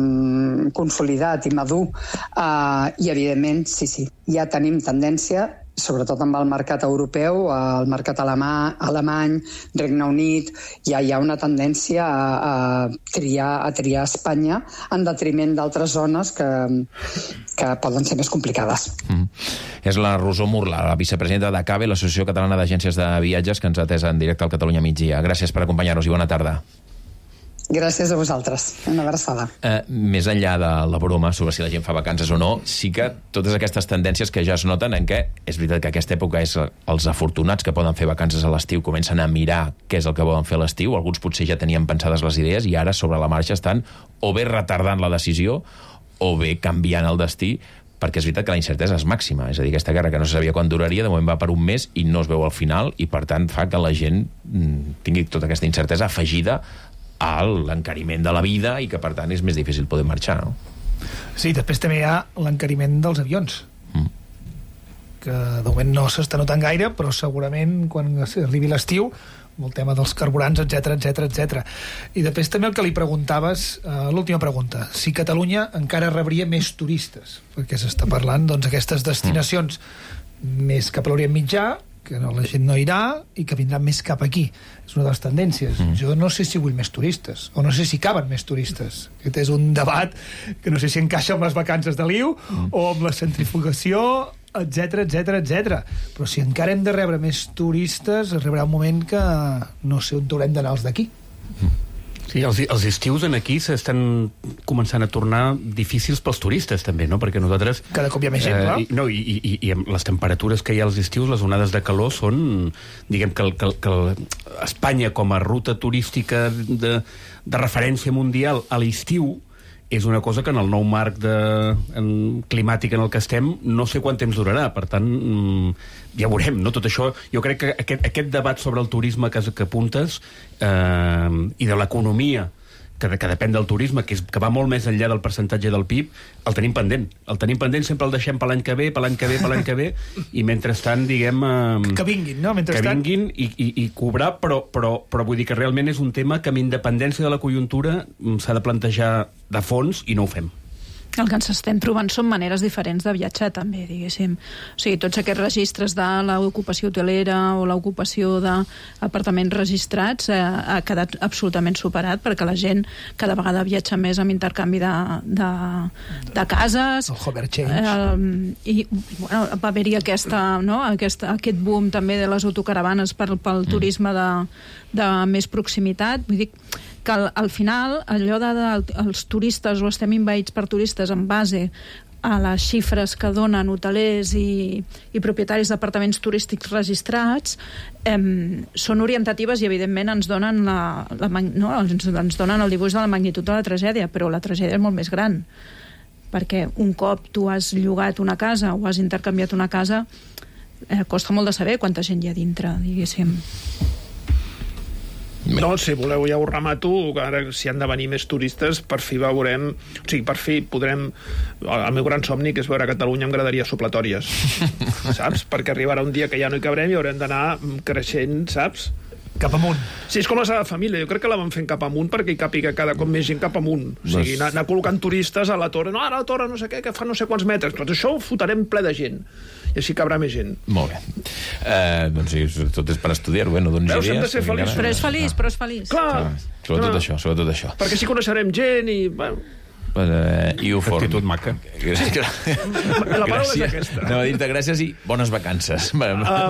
consolidat i madur i, evidentment, sí, ja tenim tendència, sobretot amb el mercat europeu, el mercat alemany, Regne Unit, ja hi ha una tendència a triar Espanya en detriment d'altres zones que poden ser més complicades. És la Rosó Murla, la vicepresidenta d'ACABE, l'Associació Catalana d'Agències de Viatges, que ens ha atès en directe al Catalunya Migdia. Gràcies per acompanyar-nos i bona tarda. Gràcies a vosaltres. Una abraçada. Més enllà de la broma sobre si la gent fa vacances o no, sí que totes aquestes tendències que ja es noten en què és veritat que aquesta època és els afortunats que poden fer vacances a l'estiu, comencen a mirar què és el que volen fer a l'estiu, alguns potser ja tenien pensades les idees i ara sobre la marxa estan o bé retardant la decisió o bé canviant el destí, perquè és veritat que la incertesa és màxima. És a dir, aquesta guerra que no se sabia quan duraria, de moment va per un mes i no es veu al final, i per tant fa que la gent tingui tota aquesta incertesa afegida a l'encariment de la vida i que per tant és més difícil poder marxar, no? Sí, després també hi ha l'encariment dels avions, que de moment no s'està notant gaire, però segurament quan arribi l'estiu, amb el tema dels carburants, etc. I després també el que li preguntaves, l'última pregunta, si Catalunya encara rebria més turistes, perquè s'està parlant aquestes destinacions més cap a l'Orient Mitjà, que la gent no irà i que vindran més cap aquí. És una de les tendències. Jo no sé si vull més turistes, o no sé si caben més turistes. Aquest és un debat que no sé si encaixa amb les vacances de l'IU o amb la centrifugació, etc. Però si encara hem de rebre més turistes, arribarà un moment que no sé on haurem d'anar els d'aquí. Sí, els estius aquí s'estan començant a tornar difícils pels turistes, també, no? Perquè nosaltres... Cada cop hi ha més gent, clar. I amb les temperatures que hi ha als estius, les onades de calor són... Diguem que Espanya, com a ruta turística de referència mundial a l'estiu, és una cosa que en el nou marc climàtic en el que estem no sé quant temps durarà, per tant ja veurem, no? Tot això, jo crec que aquest debat sobre el turisme que apuntes i de l'economia que depèn del turisme, que va molt més enllà del percentatge del PIB, el tenim pendent, sempre el deixem per l'any que ve, i mentrestant, diguem... Que vinguin, no? Que vinguin i cobrar, però vull dir que realment és un tema que amb independència de la conjuntura s'ha de plantejar de fons i no ho fem. El que ens estem trobant són maneres diferents de viatjar, també, diguéssim. O sigui, tots aquests registres de l'ocupació hotelera o l'ocupació d'apartaments registrats ha quedat absolutament superat, perquè la gent cada vegada viatja més amb intercanvi de cases. El hover change. I bueno, va haver-hi aquest boom també de les autocaravanes pel turisme de més proximitat. Vull dir que al final allò dels turistes, o estem envaïts per turistes en base a les xifres que donen hotelers i propietaris d'apartaments turístics registrats, són orientatives i evidentment ens donen ens donen el dibuix de la magnitud de la tragèdia, però la tragèdia és molt més gran, perquè un cop tu has llogat una casa o has intercanviat una casa, costa molt de saber quanta gent hi ha dintre, diguéssim. No, si voleu ja ho remato, que ara si han de venir més turistes, per fi veurem, o sigui, per fi podrem, el meu gran somni, que és veure a Catalunya amb graderies supletòries, saps? Perquè arribarà un dia que ja no hi cabrem i haurem d'anar creixent, saps? Cap amunt. Sí, és com la Sagrada Família, jo crec que la van fent cap amunt perquè hi càpiga cada cop més gent cap amunt. O sigui, anar col·locant turistes a la torre, no, ara la torre no sé què, que fa no sé quants metres, tot això ho fotarem ple de gent. I així cabrà més gent. Molt bé. Doncs sí, tot és per estudiar-ho, no donis idees. Hem de ser feliços. Però és feliç. Clar. Sobretot això. Perquè així coneixerem gent i... Bueno. I ho form. Actitud maca. La paraula és aquesta. Anava a dir-te gràcies i bones vacances.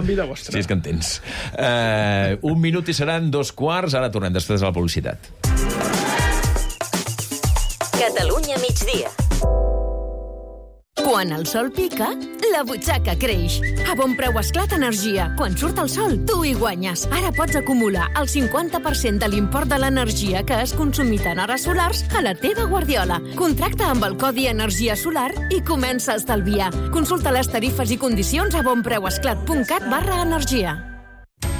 Vida vostra. Si és que en tens. 1 minut i seran 2:15. Ara tornem després de la publicitat. Catalunya migdia. Quan el sol pica, La butxaca creix. A Bon Preu Esclat Energia. Quan surt el sol, tu hi guanyes. Ara pots acumular el 50% de l'import de l'energia que has consumit en hores solars a la teva guardiola. Contracta amb el codi Energia Solar i comença a estalviar. Consulta les tarifes i condicions a bonpreuesclat.cat/energia.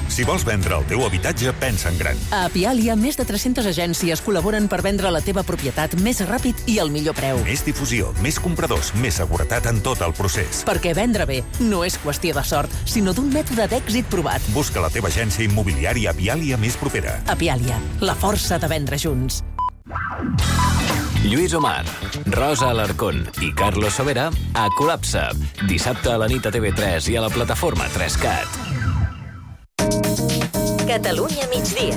Si vols vendre el teu habitatge, pensa en gran. A Apialia, més de 300 agències col·laboren per vendre la teva propietat més ràpid i al millor preu. Més difusió, més compradors, més seguretat en tot el procés. Perquè vendre bé no és qüestió de sort, sinó d'un mètode d'èxit provat. Busca la teva agència immobiliària Apialia més propera. Apialia, la força de vendre junts. Lluís Omar, Rosa Alarcón i Carlos Sobera a Col·lapse. Dissabte a la nit a TV3 i a la plataforma 3CAT. Catalunya migdia.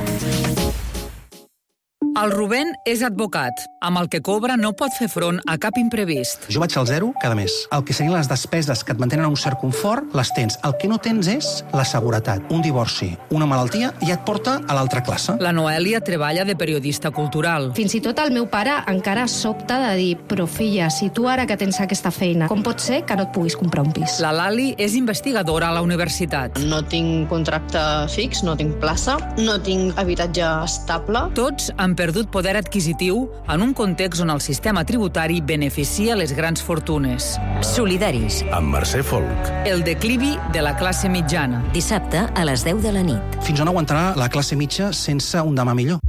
El Rubén és advocat. Amb el que cobra no pot fer front a cap imprevist. Jo vaig al zero cada mes. El que serien les despeses que et mantenen a un cert confort, les tens. El que no tens és la seguretat. Un divorci, una malaltia, ja et porta a l'altra classe. La Noèlia treballa de periodista cultural. Fins i tot el meu pare encara sobta de dir «Però filla, si tu ara que tens aquesta feina, com pot ser que no et puguis comprar un pis?» La Lali és investigadora a la universitat. No tinc contracte fix, no tinc plaça, no tinc habitatge estable. Tots han perdut poder adquisitiu en un context on el sistema tributari beneficia les grans fortunes. Solidaris. Amb Mercè Folk. El declivi de la classe mitjana. Dissabte a les 10 de la nit. Fins on aguantarà la classe mitja sense un demà millor?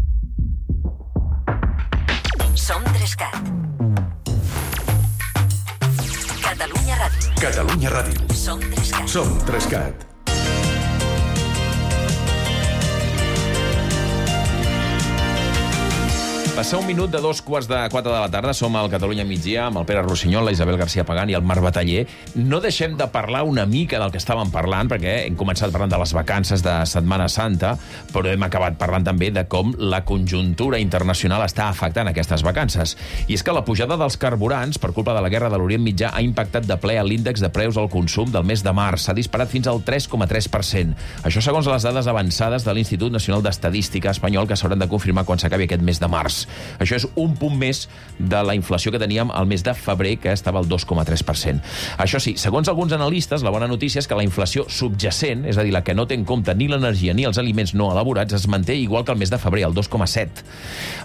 Som 3CAT. Catalunya Ràdio. Catalunya Ràdio. Som 3CAT. Som 3CAT. Passa un minut de 3:45 de la tarda. Som al Catalunya migdia amb el Pere Rossinyol, la Isabel García Pagán i el Marc Bataller. No deixem de parlar una mica del que estàvem parlant, perquè hem començat parlant de les vacances de Setmana Santa, però hem acabat parlant també de com la conjuntura internacional està afectant aquestes vacances. I és que la pujada dels carburants, per culpa de la guerra de l'Orient Mitjà, ha impactat de ple a l'índex de preus al consum del mes de març. S'ha disparat fins al 3,3%. Això segons les dades avançades de l'Institut Nacional d'Estadística espanyol, que s'hauran de confirmar quan s'acabi aquest mes de març. Això és un punt més de la inflació que teníem al mes de febrer, que estava al 2,3%. Això sí, segons alguns analistes, la bona notícia és que la inflació subjacent, és a dir, la que no té en compte ni l'energia ni els aliments no elaborats, es manté igual que el mes de febrer, el 2,7%.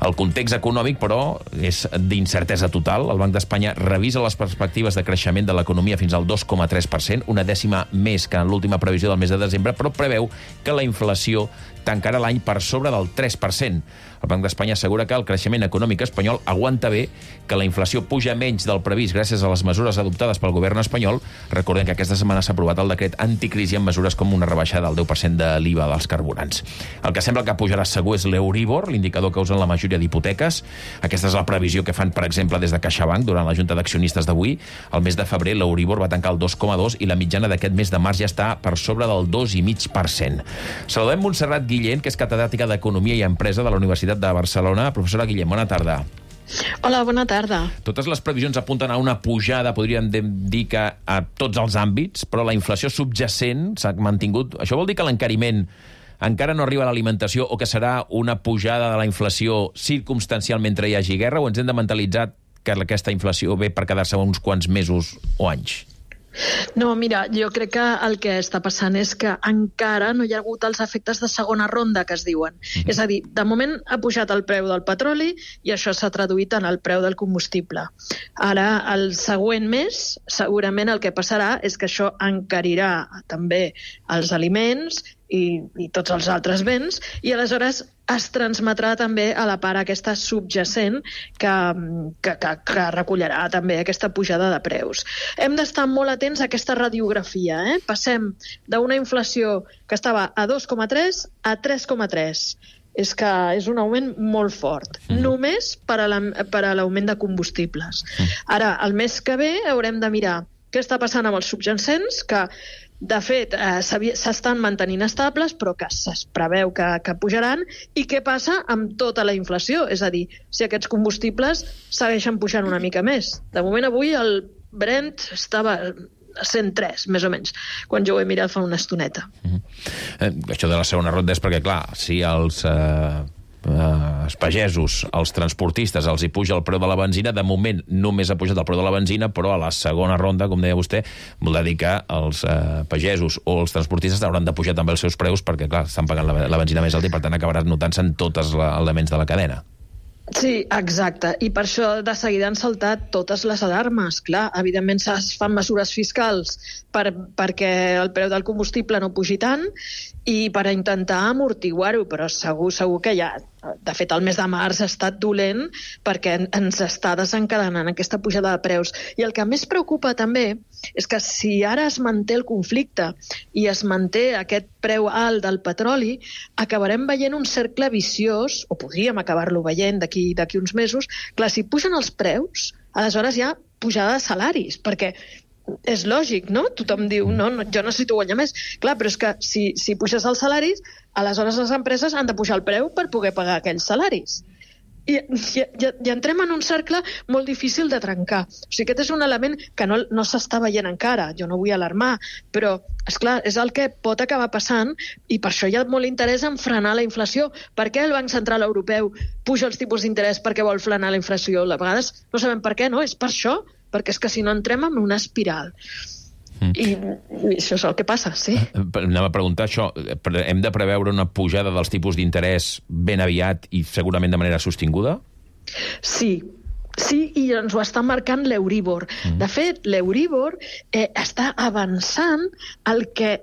El context econòmic, però, és d'incertesa total. El Banc d'Espanya revisa les perspectives de creixement de l'economia fins al 2,3%, una dècima més que en l'última previsió del mes de desembre, però preveu que la inflació tancarà l'any per sobre del 3%. El Banc d'Espanya assegura que el creixement econòmic espanyol aguanta bé, que la inflació puja menys del previst gràcies a les mesures adoptades pel govern espanyol. Recordem que aquesta setmana s'ha aprovat el decret anticrisi amb mesures com una rebaixada del 10% de l'IVA dels carburants. El que sembla que pujarà segur és l'Euribor, l'indicador que usen la majoria d'hipoteques. Aquesta és la previsió que fan, per exemple, des de CaixaBank durant la Junta d'Accionistes d'avui. El mes de febrer l'Euribor va tancar el 2,2 i la mitjana d'aquest mes de març ja està per sobre del 2,5%. Saludem Montserrat Guillén, que és catedràtica d'Economia i Empresa de la Universitat de Barcelona. Professora Guillén, bona tarda. Hola, bona tarda. Totes les previsions apunten a una pujada, podríem dir que a tots els àmbits, però la inflació subjacent s'ha mantingut. Això vol dir que l'encariment encara no arriba a l'alimentació o que serà una pujada de la inflació circumstancial mentre hi hagi guerra, o ens hem de mentalitzar que aquesta inflació ve per quedar-se uns quants mesos o anys? No, mira, jo crec que el que està passant és que encara no hi ha hagut els efectes de segona ronda, que es diuen. És a dir, de moment ha pujat el preu del petroli i això s'ha traduït en el preu del combustible. Ara, el següent mes, segurament el que passarà és que això encarirà també els aliments i tots els altres béns, i aleshores es transmetrà també a la part aquesta subjacent que recollerà també aquesta pujada de preus. Hem d'estar molt atents a aquesta radiografia. Passem d'una inflació que estava a 2,3 a 3,3. És que és un augment molt fort, només per a l'augment de combustibles. Ara, el mes que ve haurem de mirar què està passant amb els subjacents, que de fet, s'estan mantenint estables, però que es preveu que pujaran, i què passa amb tota la inflació? És a dir, si aquests combustibles segueixen pujant una mica més. De moment, avui el Brent estava a 103, més o menys, quan jo ho he mirat fa una estoneta. Això de la segona ronda és perquè, clar, si els els pagesos, els transportistes, els hi puja el preu de la benzina. De moment només ha pujat el preu de la benzina, però a la segona ronda, com deia vostè, vol dir que els pagesos o els transportistes hauran de pujar també els seus preus perquè, clar, estan pagant la benzina més alta i, per tant, acabarà notant-se en tots els elements de la cadena. Sí, exacte. I per això de seguida han saltat totes les alarmes. Clar, evidentment es fan mesures fiscals perquè el preu del combustible no pugi tant i per intentar amortiguar-ho, però segur que ja... De fet, el mes de març ha estat dolent perquè ens està desencadenant aquesta pujada de preus. I el que més preocupa també és que si ara es manté el conflicte i es manté aquest preu alt del petroli, acabarem veient un cercle viciós, o podríem acabar-lo veient d'aquí uns mesos. Clar, si pugen els preus, aleshores hi ha pujada de salaris, perquè és lògic, no? Tothom diu, no, jo necessito guanyar més. Clar, però és que si puges els salaris, aleshores les empreses han de pujar el preu per poder pagar aquells salaris. I entrem en un cercle molt difícil de trencar. O sigui, aquest és un element que no s'està veient encara. Jo no vull alarmar, però, esclar, és el que pot acabar passant i per això hi ha molt interès en frenar la inflació. Per què el Banc Central Europeu puja els tipus d'interès perquè vol frenar la inflació? A vegades no sabem per què, no? És per això, perquè és que si no entrem en una espiral. I això és el que passa, sí. Anem a preguntar això. Hem de preveure una pujada dels tipus d'interès ben aviat i segurament de manera sostinguda? Sí, i ens ho està marcant l'Euríbor. De fet, l'Euríbor està avançant el que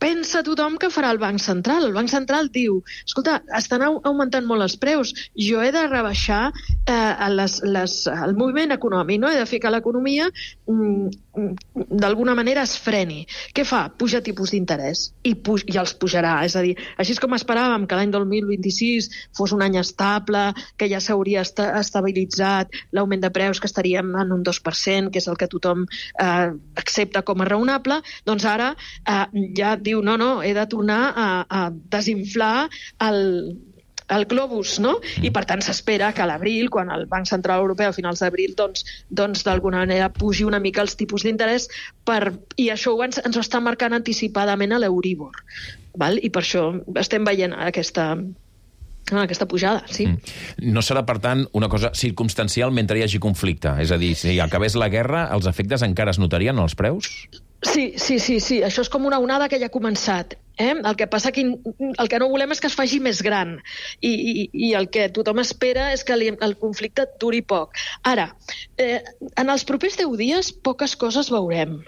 pensa tothom que farà el Banc Central. El Banc Central diu, escolta, estan augmentant molt els preus, jo he de rebaixar el moviment econòmic, no? He de fer que l'economia d'alguna manera es freni. Què fa? Puja tipus d'interès i els pujarà. És a dir, així com esperàvem que l'any 2026 fos un any estable, que ja s'hauria estabilitzat l'augment de preus, que estaríem en un 2%, que és el que tothom accepta com a raonable, doncs ara ja diu, no, he de tornar a desinflar el globus, no? I per tant s'espera que a l'abril, quan el Banc Central Europeu a finals d'abril doncs d'alguna manera pugi una mica els tipus d'interès i això ens ho està marcant anticipadament a l'Euríbor, val? I per això estem veient aquesta pujada, sí. No serà, per tant, una cosa circumstancial mentre hi hagi conflicte? És a dir, si acabés la guerra, els efectes encara es notarien als preus? Sí. Això és com una onada que ja ha començat. El que passa que el que no volem és que es faci més gran i el que tothom espera és que el conflicte duri poc. Ara, en els propers 10 dies poques coses veurem.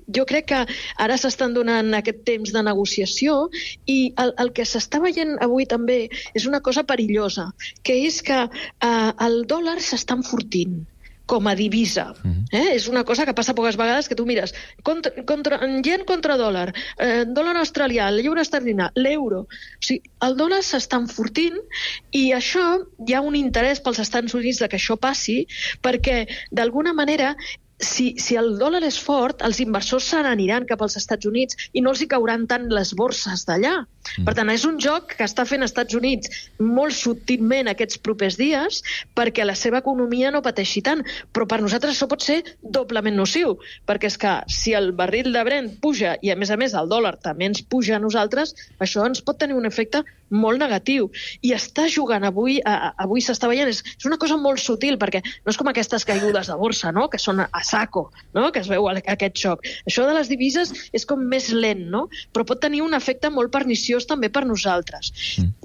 Jo crec que ara s'estan donant aquest temps de negociació i el que s'està veient avui també és una cosa perillosa, que és que el dòlar s'està enfortint com a divisa. És una cosa que passa poques vegades, que tu mires yen contra dòlar, dòlar australià, lliure esterlina, l'euro. O sigui, el dòlar s'està enfortint i això hi ha un interès pels Estats Units de que això passi perquè, d'alguna manera, si el dòlar és fort, els inversors se n'aniran cap als Estats Units i no els hi cauran tant les borses d'allà. Per tant, és un joc que està fent Estats Units molt subtilment aquests propers dies perquè la seva economia no pateixi tant. Però per nosaltres això pot ser doblement nociu, perquè és que si el barril de Brent puja i, a més el dòlar també ens puja a nosaltres, això ens pot tenir un efecte molt negatiu. I està jugant avui s'està veient, és una cosa molt sutil, perquè no és com aquestes caigudes de borsa, no?, que són a saco, no?, que es veu aquest xoc. Això de les divises és com més lent, no?, però pot tenir un efecte molt perniciós també per nosaltres.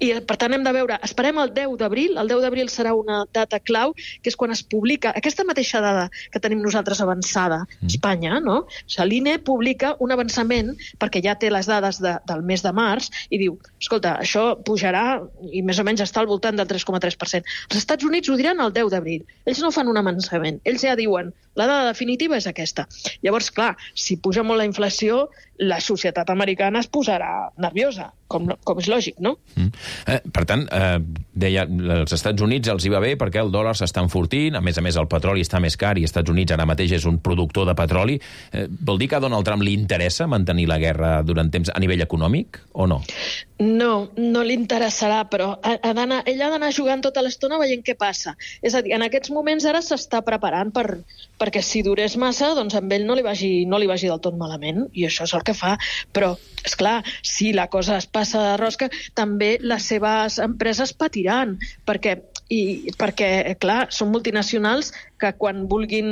I per tant hem de veure, esperem el 10 d'abril, el 10 d'abril serà una data clau, que és quan es publica aquesta mateixa dada que tenim nosaltres avançada a Espanya, no? O sigui, l'INE publica un avançament, perquè ja té les dades del mes de març, i diu, escolta, això pujarà i més o menys està al voltant del 3,3%. Els Estats Units ho diran el 10 d'abril. Ells no fan un avançament. Ells ja diuen, la dada definitiva és aquesta. Llavors, clar, si puja molt la inflació, la societat americana es posarà nerviosa, com és lògic, no? Per tant, deia, als Estats Units els hi va bé perquè el dòlar s'està enfortint, a més el petroli està més car i als Estats Units ara mateix és un productor de petroli. Vol dir que a Donald Trump li interessa mantenir la guerra durant temps a nivell econòmic o no? No, no li interessarà, però ell ha d'anar jugant tota l'estona veient què passa. És a dir, en aquests moments ara s'està preparant perquè si durés massa, doncs amb ell no li vagi del tot malament, i això és el que fa. Però, esclar, si la cosa es passa de rosca, també les seves empreses patiran, perquè, clar, són multinacionals que quan vulguin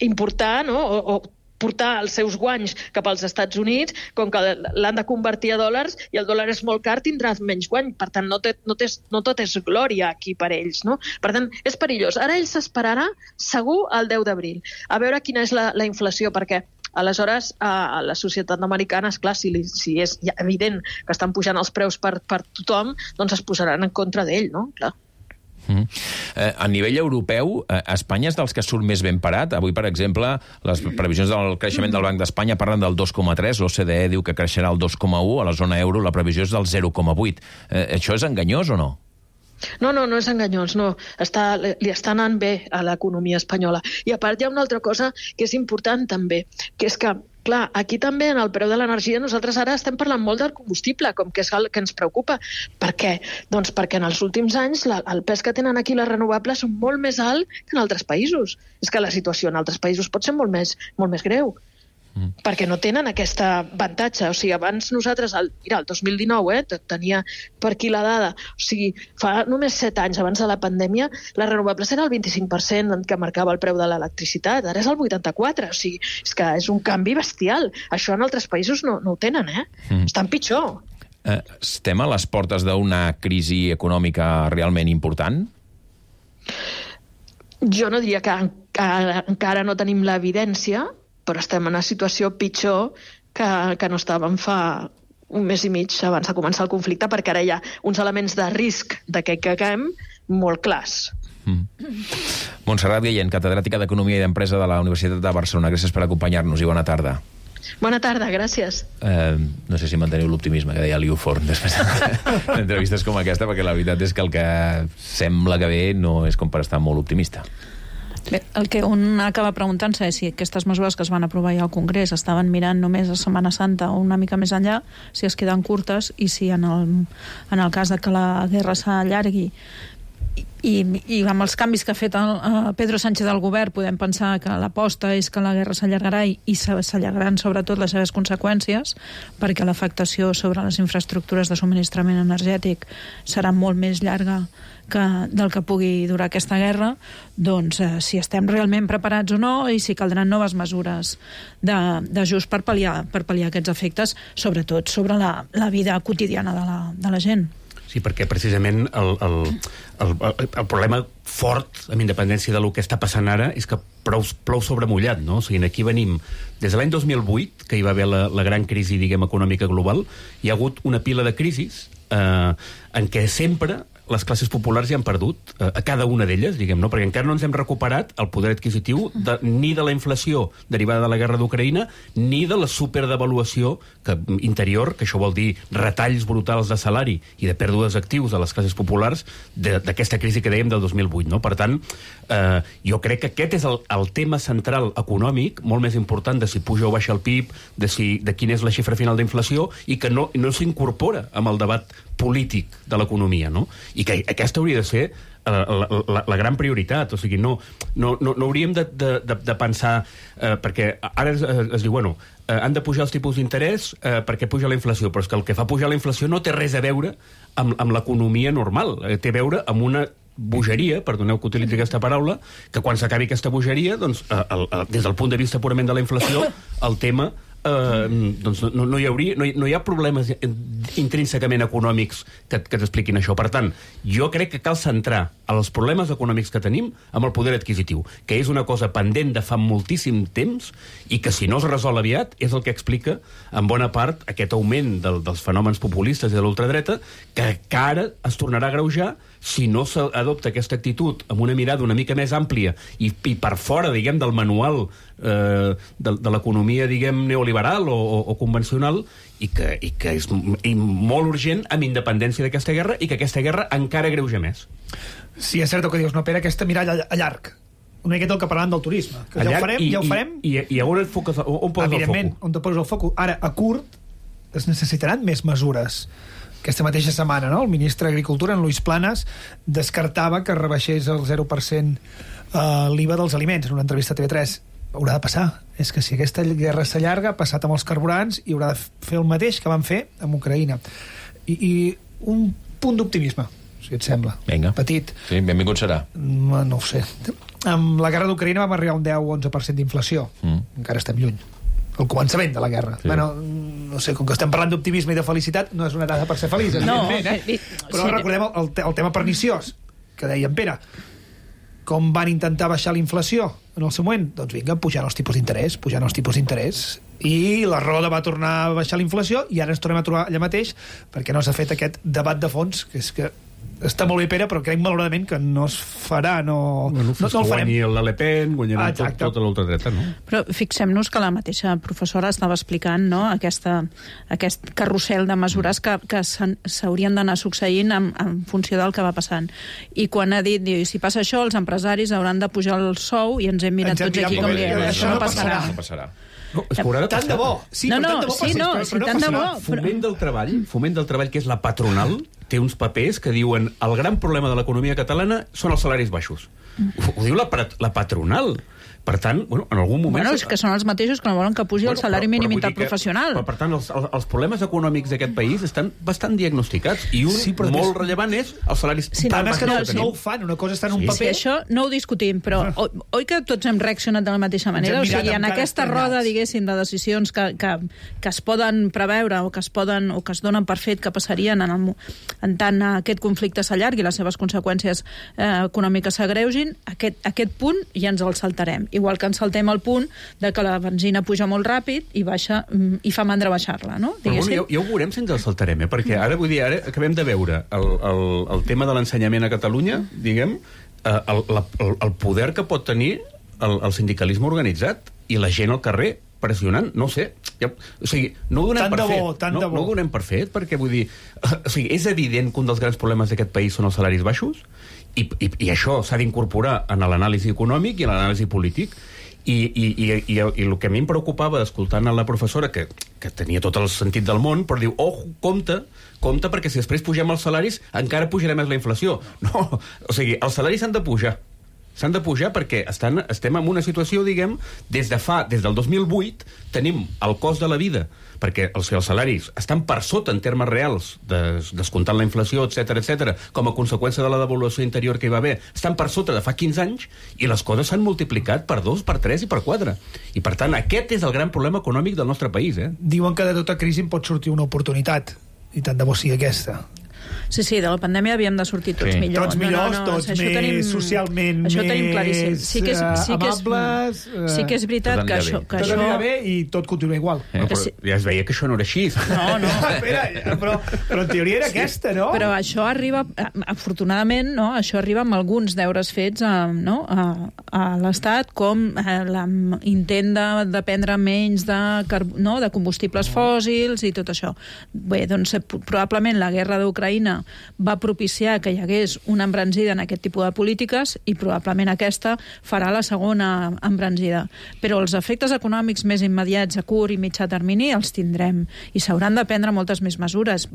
importar, no?, o portar els seus guanys cap als Estats Units, com que l'han de convertir a dòlars i el dòlar és molt car, tindràs menys guany. Per tant, no tot és glòria aquí per ells, no? Per tant, és perillós. Ara ell s'esperarà segur el 10 d'abril a veure quina és la inflació, perquè aleshores a la societat americana, esclar, si és ja evident que estan pujant els preus per tothom, doncs es posaran en contra d'ell, no? Clar. A nivell europeu, Espanya és dels que surt més ben parat. Avui, per exemple, les previsions del creixement del Banc d'Espanya parlen del 2,3, l'OCDE diu que creixerà el 2,1, a la zona euro la previsió és del 0,8. Això és enganyós o no? No és enganyós, no. Li està anant bé a l'economia espanyola. I a part hi ha una altra cosa que és important també, que és que clar, aquí també en el preu de l'energia nosaltres ara estem parlant molt del combustible, com que és el que ens preocupa. Per què? Doncs perquè en els últims anys el pes que tenen aquí les renovables són molt més alt que en altres països. És que la situació en altres països pot ser molt més greu. Perquè no tenen aquest avantatge. O sigui, abans nosaltres, el 2019, tenia per aquí la dada, o sigui, fa només 7 anys abans de la pandèmia, les renovables era el 25% que marcava el preu de l'electricitat, ara és el 84%, o sigui, és que és un canvi bestial. Això en altres països no ho tenen, Estan pitjor. Estem a les portes d'una crisi econòmica realment important? Jo no diria que encara no tenim l'evidència, però estem en una situació pitjor que no estàvem fa un mes i mig abans de començar el conflicte, perquè ara hi ha uns elements de risc de que caguem molt clars. Montserrat Guillén, catedràtica d'Economia i d'Empresa de la Universitat de Barcelona. Gràcies per acompanyar-nos i bona tarda. Bona tarda, gràcies. No sé si manteniu l'optimisme que deia Liu Forn després d'entrevistes com aquesta, perquè la veritat és que el que sembla que ve no és com per estar molt optimista. Bé, el que un acaba preguntant-se és si aquestes mesures que es van aprovar ja al Congrés estaven mirant només a Setmana Santa o una mica més enllà, si es queden curtes i si en el cas de que la guerra s'allargui i amb els canvis que ha fet Pedro Sánchez al govern podem pensar que l'aposta és que la guerra s'allargarà i s'allargaran sobretot les seves conseqüències, perquè l'afectació sobre les infraestructures de subministrament energètic serà molt més llarga del que pugui durar aquesta guerra. Doncs si estem realment preparats o no i si caldran noves mesures d'ajust per pal·liar aquests efectes, sobretot sobre la vida quotidiana de la gent. Sí, perquè precisament el problema fort, amb independència del que està passant ara, és que plou sobre mullat, no? O sigui, aquí venim des de l'any 2008, que hi va haver la gran crisi, diguem, econòmica global, hi ha hagut una pila de crisis en què sempre les classes populars hi han perdut, a cada una d'elles, diguem, no? Perquè encara no ens hem recuperat el poder adquisitiu ni de la inflació derivada de la guerra d'Ucraïna, ni de la superdevaluació interior, que això vol dir retalls brutals de salari i de pèrdues d'actius de les classes populars d'aquesta crisi que dèiem del 2008, no? Per tant, jo crec que aquest és el tema central econòmic, molt més important de si puja o baixa el PIB, de quina és la xifra final d'inflació, i que no s'incorpora amb el debat polític de l'economia, no? I que aquesta hauria de ser la gran prioritat. O sigui, no hauríem de pensar, perquè ara es diu, bueno, han de pujar els tipus d'interès perquè puja la inflació, però és que el que fa pujar la inflació no té res a veure amb l'economia normal, té a veure amb una bogeria, perdoneu que utilitzi aquesta paraula, que quan s'acabi aquesta bogeria, doncs, des del punt de vista purament de la inflació, el tema doncs no hi ha problemes intrínsecament econòmics que t'expliquin això. Per tant, jo crec que cal centrar els problemes econòmics que tenim amb el poder adquisitiu, que és una cosa pendent de fa moltíssim temps i que si no es resol aviat és el que explica en bona part aquest augment dels fenòmens populistes i de l'ultradreta, que ara es tornarà a agreujar si no s'adopta aquesta actitud amb una mirada una mica més àmplia i per fora, diguem, del manual de l'economia, diguem, neoliberal o convencional, i que és molt urgent amb independència d'aquesta guerra, i que aquesta guerra encara agreuja més. Sí, és cert el que dius, no, Pere, aquesta mirada a llarg. Una miqueta el que parlàvem del turisme. Que ja ho farem. I on poses el foc? Evidentment, on te poses el foc. Ara, a curt, es necessitaran més mesures. Aquesta mateixa setmana, no? El ministre d'Agricultura, en Luis Planas, descartava que rebaixés el 0% l'IVA dels aliments en una entrevista a TV3. haurà de passar. És que si aquesta guerra s'allarga, passat amb els carburants, i haurà de fer el mateix que van fer amb Ucraïna. I un punt d'optimisme, si et sembla. Vinga. Petit. Sí, benvingut serà. No ho sé. Amb la guerra d'Ucraïna vam arribar a un 10-11% d'inflació. Encara estem lluny. El començament de la guerra. Sí. Bueno, no sé, com que estem parlant d'optimisme i de felicitat, no és una dada per ser feliç, evidentment, Però recordem el tema perniciós, que deia en Pere. Com van intentar baixar la inflació en el seu moment? Doncs vinga, pujant els tipus d'interès. I la Roda va tornar a baixar la inflació i ara ens tornem a trobar allà mateix perquè no s'ha fet aquest debat de fons, que és que està molt bé, Pere, però crec malauradament que no es farà, no el farem. Guanyi el Le Pen, guanyarà tota l'ultradreta, no? Però fixem-nos que la mateixa professora estava explicant, no?, aquest carrusel de mesures que s'haurien d'anar succeint en funció del que va passant. I quan ha dit, si passa això, els empresaris hauran de pujar el sou, i ens hem mirat tots aquí com diem, això no passarà. No passarà. No, és que haurà de passar. Tant de bo. Sí, tant de bo. Foment del treball, que és la patronal, té uns papers que diuen el gran problema de l'economia catalana són els salaris baixos. Ho diu la patronal. Per tant, en algun moment... és que són els mateixos que no volen que pugi el salari mínim interprofessional. Per tant, els problemes econòmics d'aquest país estan bastant diagnosticats, i un molt rellevant és els salaris tan baixos que tenim. No ho fan, una cosa està en un paper... Sí, això no ho discutim, però oi que tots hem reaccionat de la mateixa manera? O sigui, en aquesta roda, diguéssim, de decisions que es poden preveure o que es donen per fet que passarien en tant aquest conflicte s'allargui i les seves conseqüències econòmiques s'agreugin, aquest punt ja ens el saltarem. Igual que ens saltem el punt de que la benzina puja molt ràpid i baixa i fa mandra baixar-la, no? Però ja ho veurem si ens el saltarem, perquè ara acabem de veure el tema de l'ensenyament a Catalunya, diguem, el poder que pot tenir el sindicalisme organitzat i la gent al carrer pressionant, no sé, o sigui, no ho donem per fet, no ho donem per fet, perquè vull dir, o sigui, és evident que un dels grans problemes d'aquest país són els salaris baixos, i això s'ha d'incorporar en l'anàlisi econòmic i en l'anàlisi polític, i el que a mi em preocupava escoltant a la professora, que tenia tot el sentit del món, però diu, compte, perquè si després pugem els salaris encara pujarà més la inflació. No, o sigui, els salaris s'han de pujar perquè estem en una situació, diguem, des del 2008 tenim el cost de la vida, perquè els salaris estan per sota en termes reals, descomptant la inflació, etc, com a conseqüència de la devaluació interior que hi va haver, estan per sota de fa 15 anys, i les coses s'han multiplicat per 2, per 3 i per 4. I per tant, aquest és el gran problema econòmic del nostre país. Diuen que de tota crisi pot sortir una oportunitat, i tant de bo sigui aquesta. Sí, de la pandèmia havíem de sortir tots millor. Tots millors, tots més socialment això tenim claríssim. Amables... Sí que és veritat que això... Tot anirà bé i tot continua igual. Però ja es veia que això no era així. No. Espera, però en teoria era aquesta, no? Però això arriba, afortunadament, no? Això arriba amb alguns deures fets a l'Estat, com l'intent de dependre menys de combustibles fòssils i tot això. Bé, doncs probablement la guerra d'Ucraïna va propiciar que hi hagués una embranzida en aquest tipus de polítiques, i probablement aquesta farà la segona embranzida. Però els efectes econòmics més immediats a curt i mitjà termini els tindrem, i s'hauran de prendre moltes més mesures.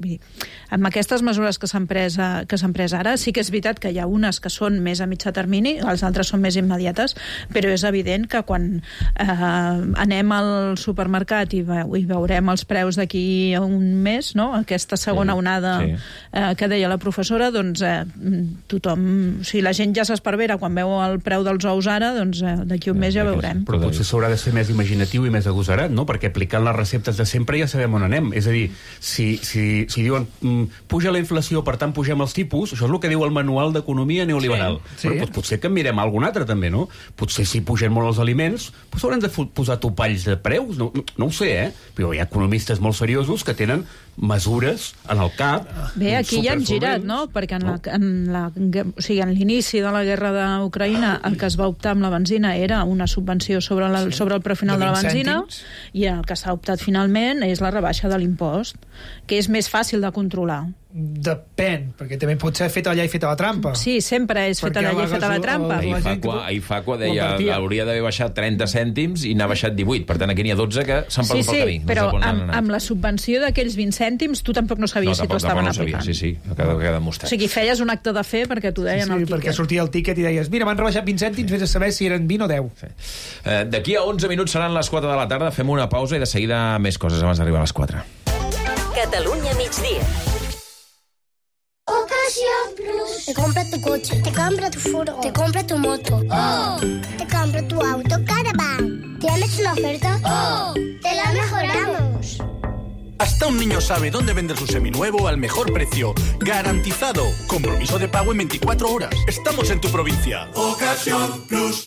Amb aquestes mesures que s'han pres ara, sí que és veritat que hi ha unes que són més a mitjà termini, les altres són més immediates, però és evident que quan anem al supermercat i veurem els preus d'aquí a un mes, no? Aquesta segona onada que deia la professora, doncs tothom, si la gent ja s'esparvera quan veu el preu dels ous ara, doncs d'aquí un mes ja veurem. Però potser s'haurà de ser més imaginatiu i més agosarat, no? Perquè aplicant les receptes de sempre ja sabem on anem. És a dir, si diuen puja la inflació, per tant pugem els tipus, això és el que diu el manual d'economia neoliberal. Però potser que mirem algun altre també, no? Potser si pugen molt els aliments, haurem de posar topalls de preus, no ho sé, però hi ha economistes molt seriosos que tenen mesures en el cap. Bé, aquí ja hem girat, no? Perquè en l'inici de la guerra d'Ucraïna el que es va optar amb la benzina era una subvenció sobre el preu final de la benzina, i el que s'ha optat finalment és la rebaixa de l'impost, que és més fàcil de controlar. Depèn, perquè també pot ser feta allà i feta la trampa. Sí, sempre és feta allà i feta la trampa. Ahir Facua deia que hauria d'haver baixat 30 cèntims i n'ha baixat 18. Per tant, aquí n'hi ha 12 que s'han perdut pel camí. Sí, però amb la subvenció d'aquells 20 cèntims tu tampoc no sabies si t'ho estaven aplicant. Sí, queda demostrat. O sigui, feies un acte de fe perquè t'ho deien al tiquet. Perquè sortia el tiquet i deies, mira, m'han rebaixat 20 cèntims, vés a saber si eren 20 o 10. D'aquí a 11 minuts seran les 4 de la tarda, fem una pausa i de seguida més coses abans d'arribar a les 4. Catalunya migdia. Ocasión Plus. Te compra tu coche, te compra tu furgo, te compra tu moto. ¡Oh! Te compra tu auto Caravan. ¿Tienes una oferta? ¡Oh! ¡Te la mejoramos! Hasta un niño sabe dónde vender su seminuevo al mejor precio. Garantizado. Compromiso de pago en 24 horas. Estamos en tu provincia. Ocasión Plus.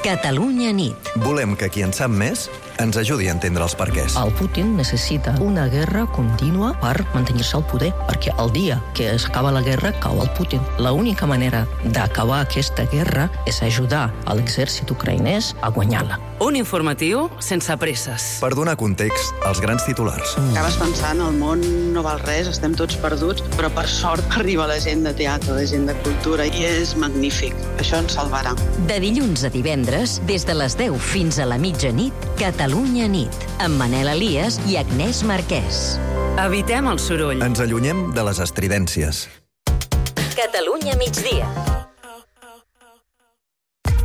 Catalunya nit. Volem que qui en sap més ens ajudi a entendre els perquès. El Putin necessita una guerra contínua per mantenir-se al poder, perquè el dia que s'acaba la guerra cau el Putin. L'única manera d'acabar aquesta guerra és ajudar a l'exèrcit ucraïnès a guanyar-la. Un informatiu sense presses. Per donar context als grans titulars. Acabes pensant, el món no val res, estem tots perduts, però per sort arriba la gent de teatre, la gent de cultura, i és magnífic. Això ens salvarà. De dilluns a divendres, des de les 10 fins a la mitjanit, Catalunya nit, amb Manel Elias i Agnès Marquès. Evitem el soroll. Ens allunyem de les estridències. Catalunya migdia.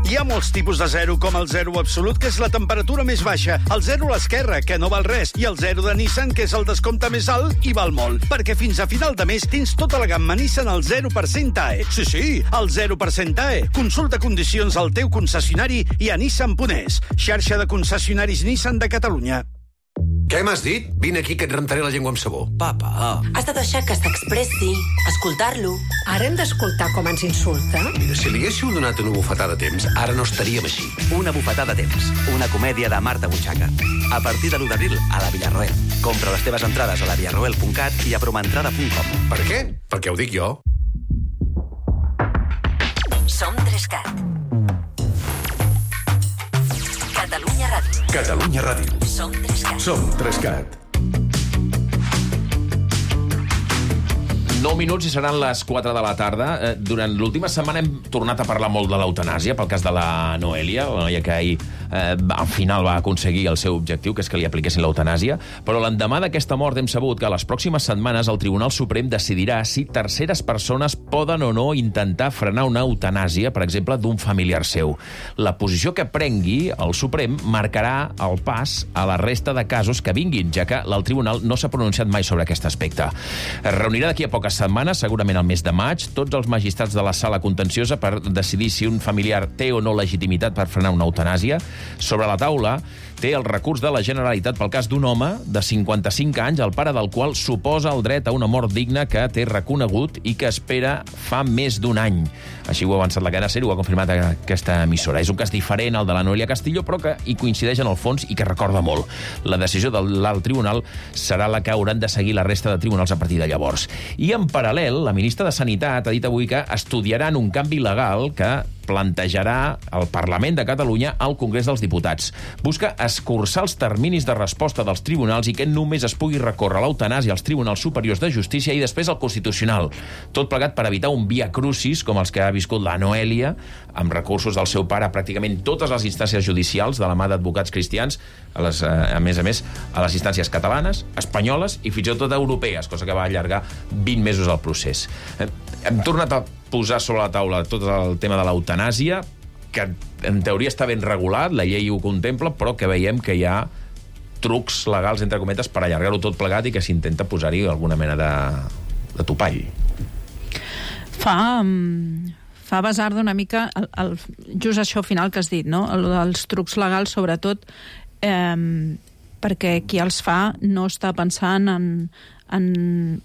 Hi ha molts tipus de zero, com el zero absolut, que és la temperatura més baixa, el zero a l'esquerra, que no val res, i el zero de Nissan, que és el descompte més alt i val molt. Perquè fins a final de mes tens tota la gamma Nissan al 0% AE. Sí, al 0% AE. Consulta condicions al teu concessionari i a Nissan.es, xarxa de concessionaris Nissan de Catalunya. Què m'has dit? Vine aquí que et rentaré la llengua amb sabó. Papa. Has de deixar que s'expressi, escoltar-lo. Ara hem d'escoltar com ens insulta? Mira, si li haguéssiu donat una bufetada a temps, ara no estaríem així. Una bufetada a temps, una comèdia de Marta Butxaca. A partir de l'1 d'abril a la Villarroel. Compra les teves entrades a la villarroel.cat i a promentrada.com. Per què? Perquè ho dic jo. Som 3CAT. Catalunya Ràdio. Catalunya Ràdio. Som 3CAT. Som 3CAT. 9 minuts i seran les 4 de la tarda. Durant l'última setmana hem tornat a parlar molt de l'eutanàsia, pel cas de la Noelia, la noia que ahir al final va aconseguir el seu objectiu, que és que li apliquessin l'eutanàsia, però l'endemà d'aquesta mort hem sabut que a les pròximes setmanes el Tribunal Suprem decidirà si terceres persones poden o no intentar frenar una eutanàsia, per exemple, d'un familiar seu. La posició que prengui el Suprem marcarà el pas a la resta de casos que vinguin, ja que el Tribunal no s'ha pronunciat mai sobre aquest aspecte. Es reunirà d'aquí a poques setmanes, segurament al mes de maig, tots els magistrats de la sala contenciosa per decidir si un familiar té o no legitimitat per frenar una eutanàsia. Sobre la taula té el recurs de la Generalitat pel cas d'un home de 55 anys, el pare del qual suposa el dret a una mort digna que té reconegut i que espera fa més d'un any. Així ho ha avançat la cadena SER, ho ha confirmat aquesta emissora. És un cas diferent al de la Noelia Castillo, però que hi coincideix en el fons i que recorda molt. La decisió de l'alt tribunal serà la que hauran de seguir la resta de tribunals a partir de llavors. I en paral·lel, la ministra de Sanitat ha dit avui que estudiaran un canvi legal que plantejarà el Parlament de Catalunya al Congrés dels Diputats. Busca escurçar els terminis de resposta dels tribunals i que només es pugui recórrer l'eutanàsia als tribunals superiors de justícia i després al Constitucional. Tot plegat per evitar un via crucis com els que ha viscut la Noelia, amb recursos del seu pare a pràcticament totes les instàncies judicials de la mà d'advocats cristians, a més, a les instàncies catalanes, espanyoles i fins i tot europees, cosa que va allargar 20 mesos el procés. Hem tornat a posar sobre la taula tot el tema de l'eutanàsia, que en teoria està ben regulat, la llei ho contempla, però que veiem que hi ha trucs legals, entre cometes, per allargar-ho tot plegat i que s'intenta posar-hi alguna mena de topall. Fa basar d'una mica just això final que has dit, no? Els trucs legals, sobretot, perquè qui els fa no està pensant en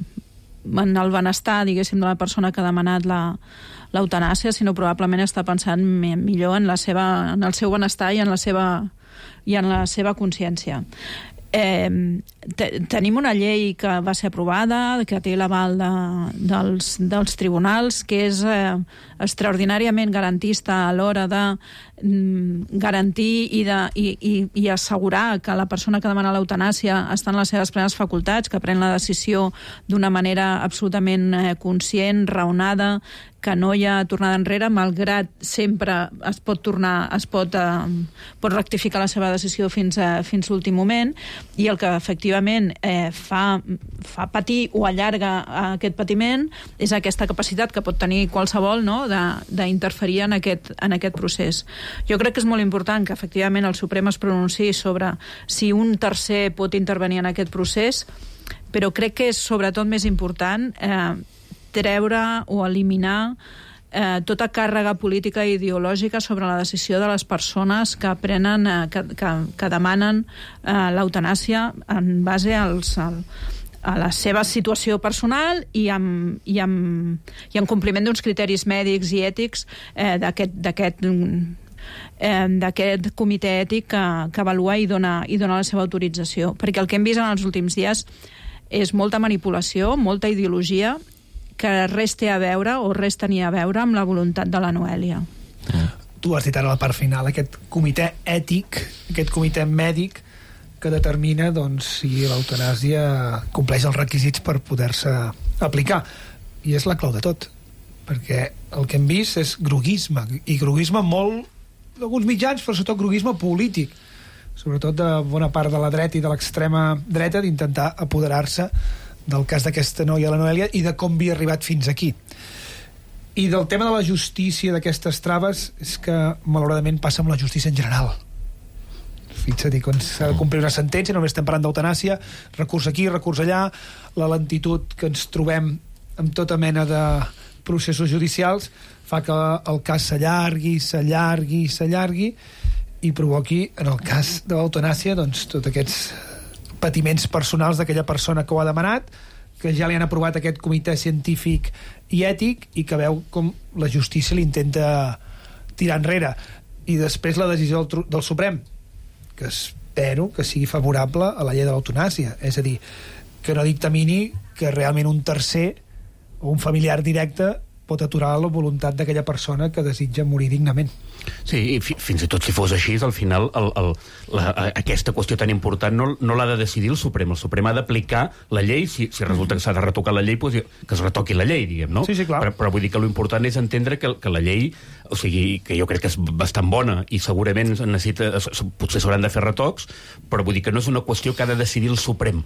el benestar, diguéssim, de la persona que ha demanat l'eutanàsia, sinó probablement està pensant millor en el seu benestar i en la seva consciència. Tenim una llei que va ser aprovada, que té l'aval dels tribunals, que és extraordinàriament garantista a l'hora de garantir i assegurar que la persona que demana l'eutanàsia està en les seves plenes facultats, que pren la decisió d'una manera absolutament conscient, raonada, que no hi ha tornada enrere, malgrat sempre es pot pot rectificar la seva decisió fins l'últim moment, i el que efectivament fa patir o allarga aquest patiment és aquesta capacitat que pot tenir qualsevol, no?, d'interferir en aquest procés. Jo crec que és molt important que efectivament el Suprem es pronunciï sobre si un tercer pot intervenir en aquest procés, però crec que és sobretot més important treure o eliminar tota càrrega política i ideològica sobre la decisió de les persones que prenen, que demanen l'eutanàsia en base a la seva situació personal i en compliment d'uns criteris mèdics i ètics d'aquest comitè ètic que avalua i dona la seva autorització. Perquè el que hem vist en els últims dies és molta manipulació, molta ideologia, que res té a veure o res tenia a veure amb la voluntat de la Noèlia. Tu has dit ara a la part final, aquest comitè ètic, aquest comitè mèdic que determina si l'eutanàsia compleix els requisits per poder-se aplicar. I és la clau de tot, perquè el que hem vist és groguisme, i groguisme molt d'alguns mitjans, però sobretot groguisme polític, sobretot de bona part de la dreta i de l'extrema dreta, d'intentar apoderar-se del cas d'aquesta noia, la Noèlia, i de com havia arribat fins aquí. I del tema de la justícia, d'aquestes traves, és que malauradament passa amb la justícia en general. Fixa't, quan s'ha de complir una sentència, només estem parlant d'eutanàsia, recurs aquí, recurs allà, la lentitud que ens trobem amb tota mena de processos judicials fa que el cas s'allargui i provoqui, en el cas de l'eutanàsia, tots aquests patiments personals d'aquella persona que ho ha demanat, que ja li han aprovat aquest comitè científic i ètic i que veu com la justícia l'intenta tirar enrere. I després la decisió del Suprem, que espero que sigui favorable a la llei de l'eutanàsia, és a dir, que no dictamini que realment un tercer o un familiar directe pot aturar la voluntat d'aquella persona que desitja morir dignament. Sí, i fins i tot si fos així, al final aquesta qüestió tan important no l'ha de decidir el Suprem. El Suprem ha d'aplicar la llei, si resulta que s'ha de retocar la llei, doncs que es retoqui la llei, diguem, no? Sí, clar. Però vull dir que l'important és entendre que la llei, o sigui, que jo crec que és bastant bona i segurament potser s'hauran de fer retocs, però vull dir que no és una qüestió que ha de decidir el Suprem,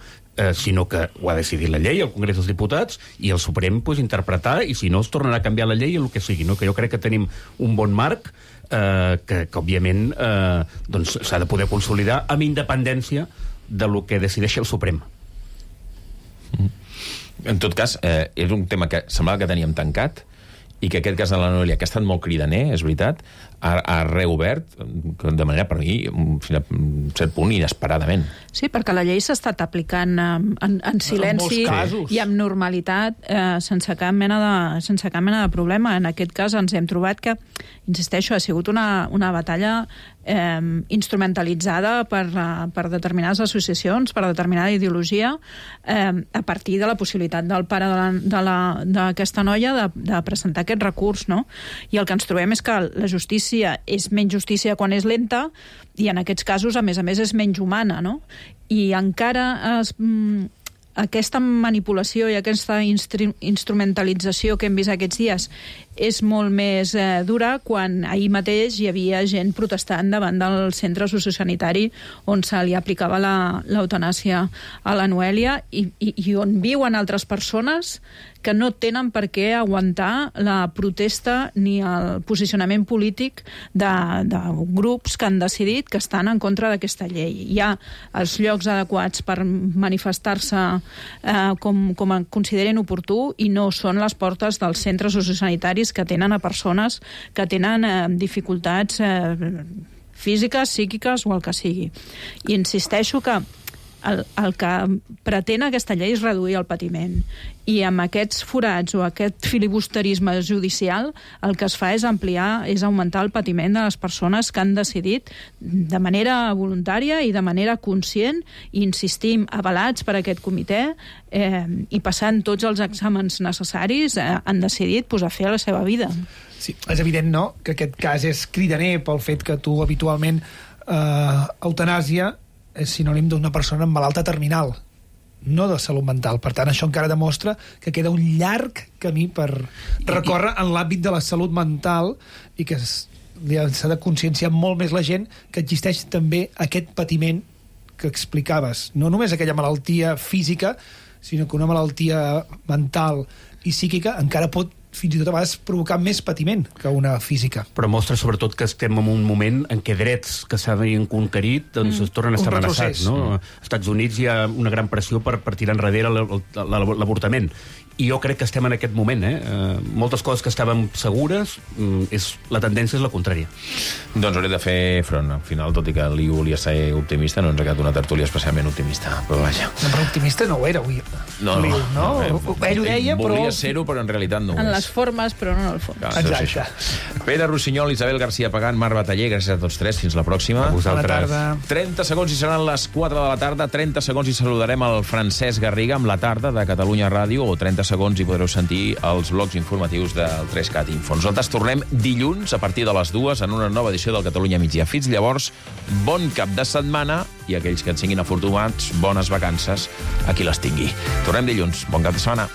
sinó que ho ha de decidir la llei, el Congrés dels Diputats, i el Suprem interpretar, i si no es tornarà a canviar la llei el que sigui, no? Que jo crec que tenim un bon marc que òbviament s'ha de poder consolidar amb independència de lo que decideixi el Suprem. En tot cas, és un tema que semblava que teníem tancat i que aquest cas de la Noèlia, que ha estat molt cridaner, és veritat, ha reobert de manera, per mi, fins a un cert punt, inesperadament. Sí, perquè la llei s'ha estat aplicant en silenci i amb normalitat, sense cap mena de problema. En aquest cas ens hem trobat que, insisteixo, ha sigut una batalla instrumentalitzada per determinades associacions, per determinada ideologia, a partir de la possibilitat del pare d'aquesta noia de presentar aquest recurs, no? I el que ens trobem és que la justícia és menys justícia quan és lenta i en aquests casos, a més, és menys humana, no? I encara aquesta manipulació i aquesta instrumentalització que hem vist aquests dies és molt més dura quan ahir mateix hi havia gent protestant davant del centre sociosanitari on se li aplicava l'eutanàsia a la Noèlia i on viuen altres persones que no tenen per què aguantar la protesta ni el posicionament polític de grups que han decidit que estan en contra d'aquesta llei. Hi ha els llocs adequats per manifestar-se com consideren oportú i no són les portes dels centres sociosanitaris que tenen a persones que tenen dificultats físiques, psíquiques o el que sigui. I insisteixo que el que pretén aquesta llei és reduir el patiment. I amb aquests forats o aquest filibusterisme judicial el que es fa és augmentar el patiment de les persones que han decidit de manera voluntària i de manera conscient, i insistim, avalats per aquest comitè i passant tots els exàmens necessaris, han decidit posar fi a la seva vida. Sí, és evident, no?, que aquest cas és cridaner pel fet que tu habitualment eutanàsia és sinònim d'una persona malalta terminal, no de salut mental. Per tant, això encara demostra que queda un llarg camí per recórrer en l'àmbit de la salut mental i que s'ha de conscienciar molt més la gent que existeix també aquest patiment que explicaves. No només aquella malaltia física, sinó que una malaltia mental i psíquica encara pot fins i tot a vegades provocar més patiment que una física. Però mostra sobretot que estem en un moment en què drets que s'havien conquerit doncs es tornen a estar amenaçats. No? Als Estats Units hi ha una gran pressió per tirar enrere l'avortament. I jo crec que estem en aquest moment. Moltes coses que estàvem segures, la tendència és la contrària. Doncs hauré de fer front. Al final, tot i que Liu volia ser optimista, no ens ha quedat una tertúlia especialment optimista. Però vaja. No, però optimista no ho era, avui. No. Ell ho deia, però... Volia ser-ho, però en realitat no ho és. En les formes, però no en el fons. Exacte. Pere Rossinyol, Isabel García Pagán, Marc Bataller, gràcies a tots tres. Fins la pròxima. A vosaltres. 30 segons i seran les 4 de la tarda. 30 segons i saludarem el Francesc Garriga amb la tarda de Catalunya Ràdio, o 30 segons i podreu sentir els blocs informatius del 3CAT Info. Nosaltres tornem dilluns a partir de les 2 en una nova edició del Catalunya Migdia. Fins llavors, bon cap de setmana i aquells que en siguin afortunats, bones vacances a qui les tingui. Tornem dilluns. Bon cap de setmana.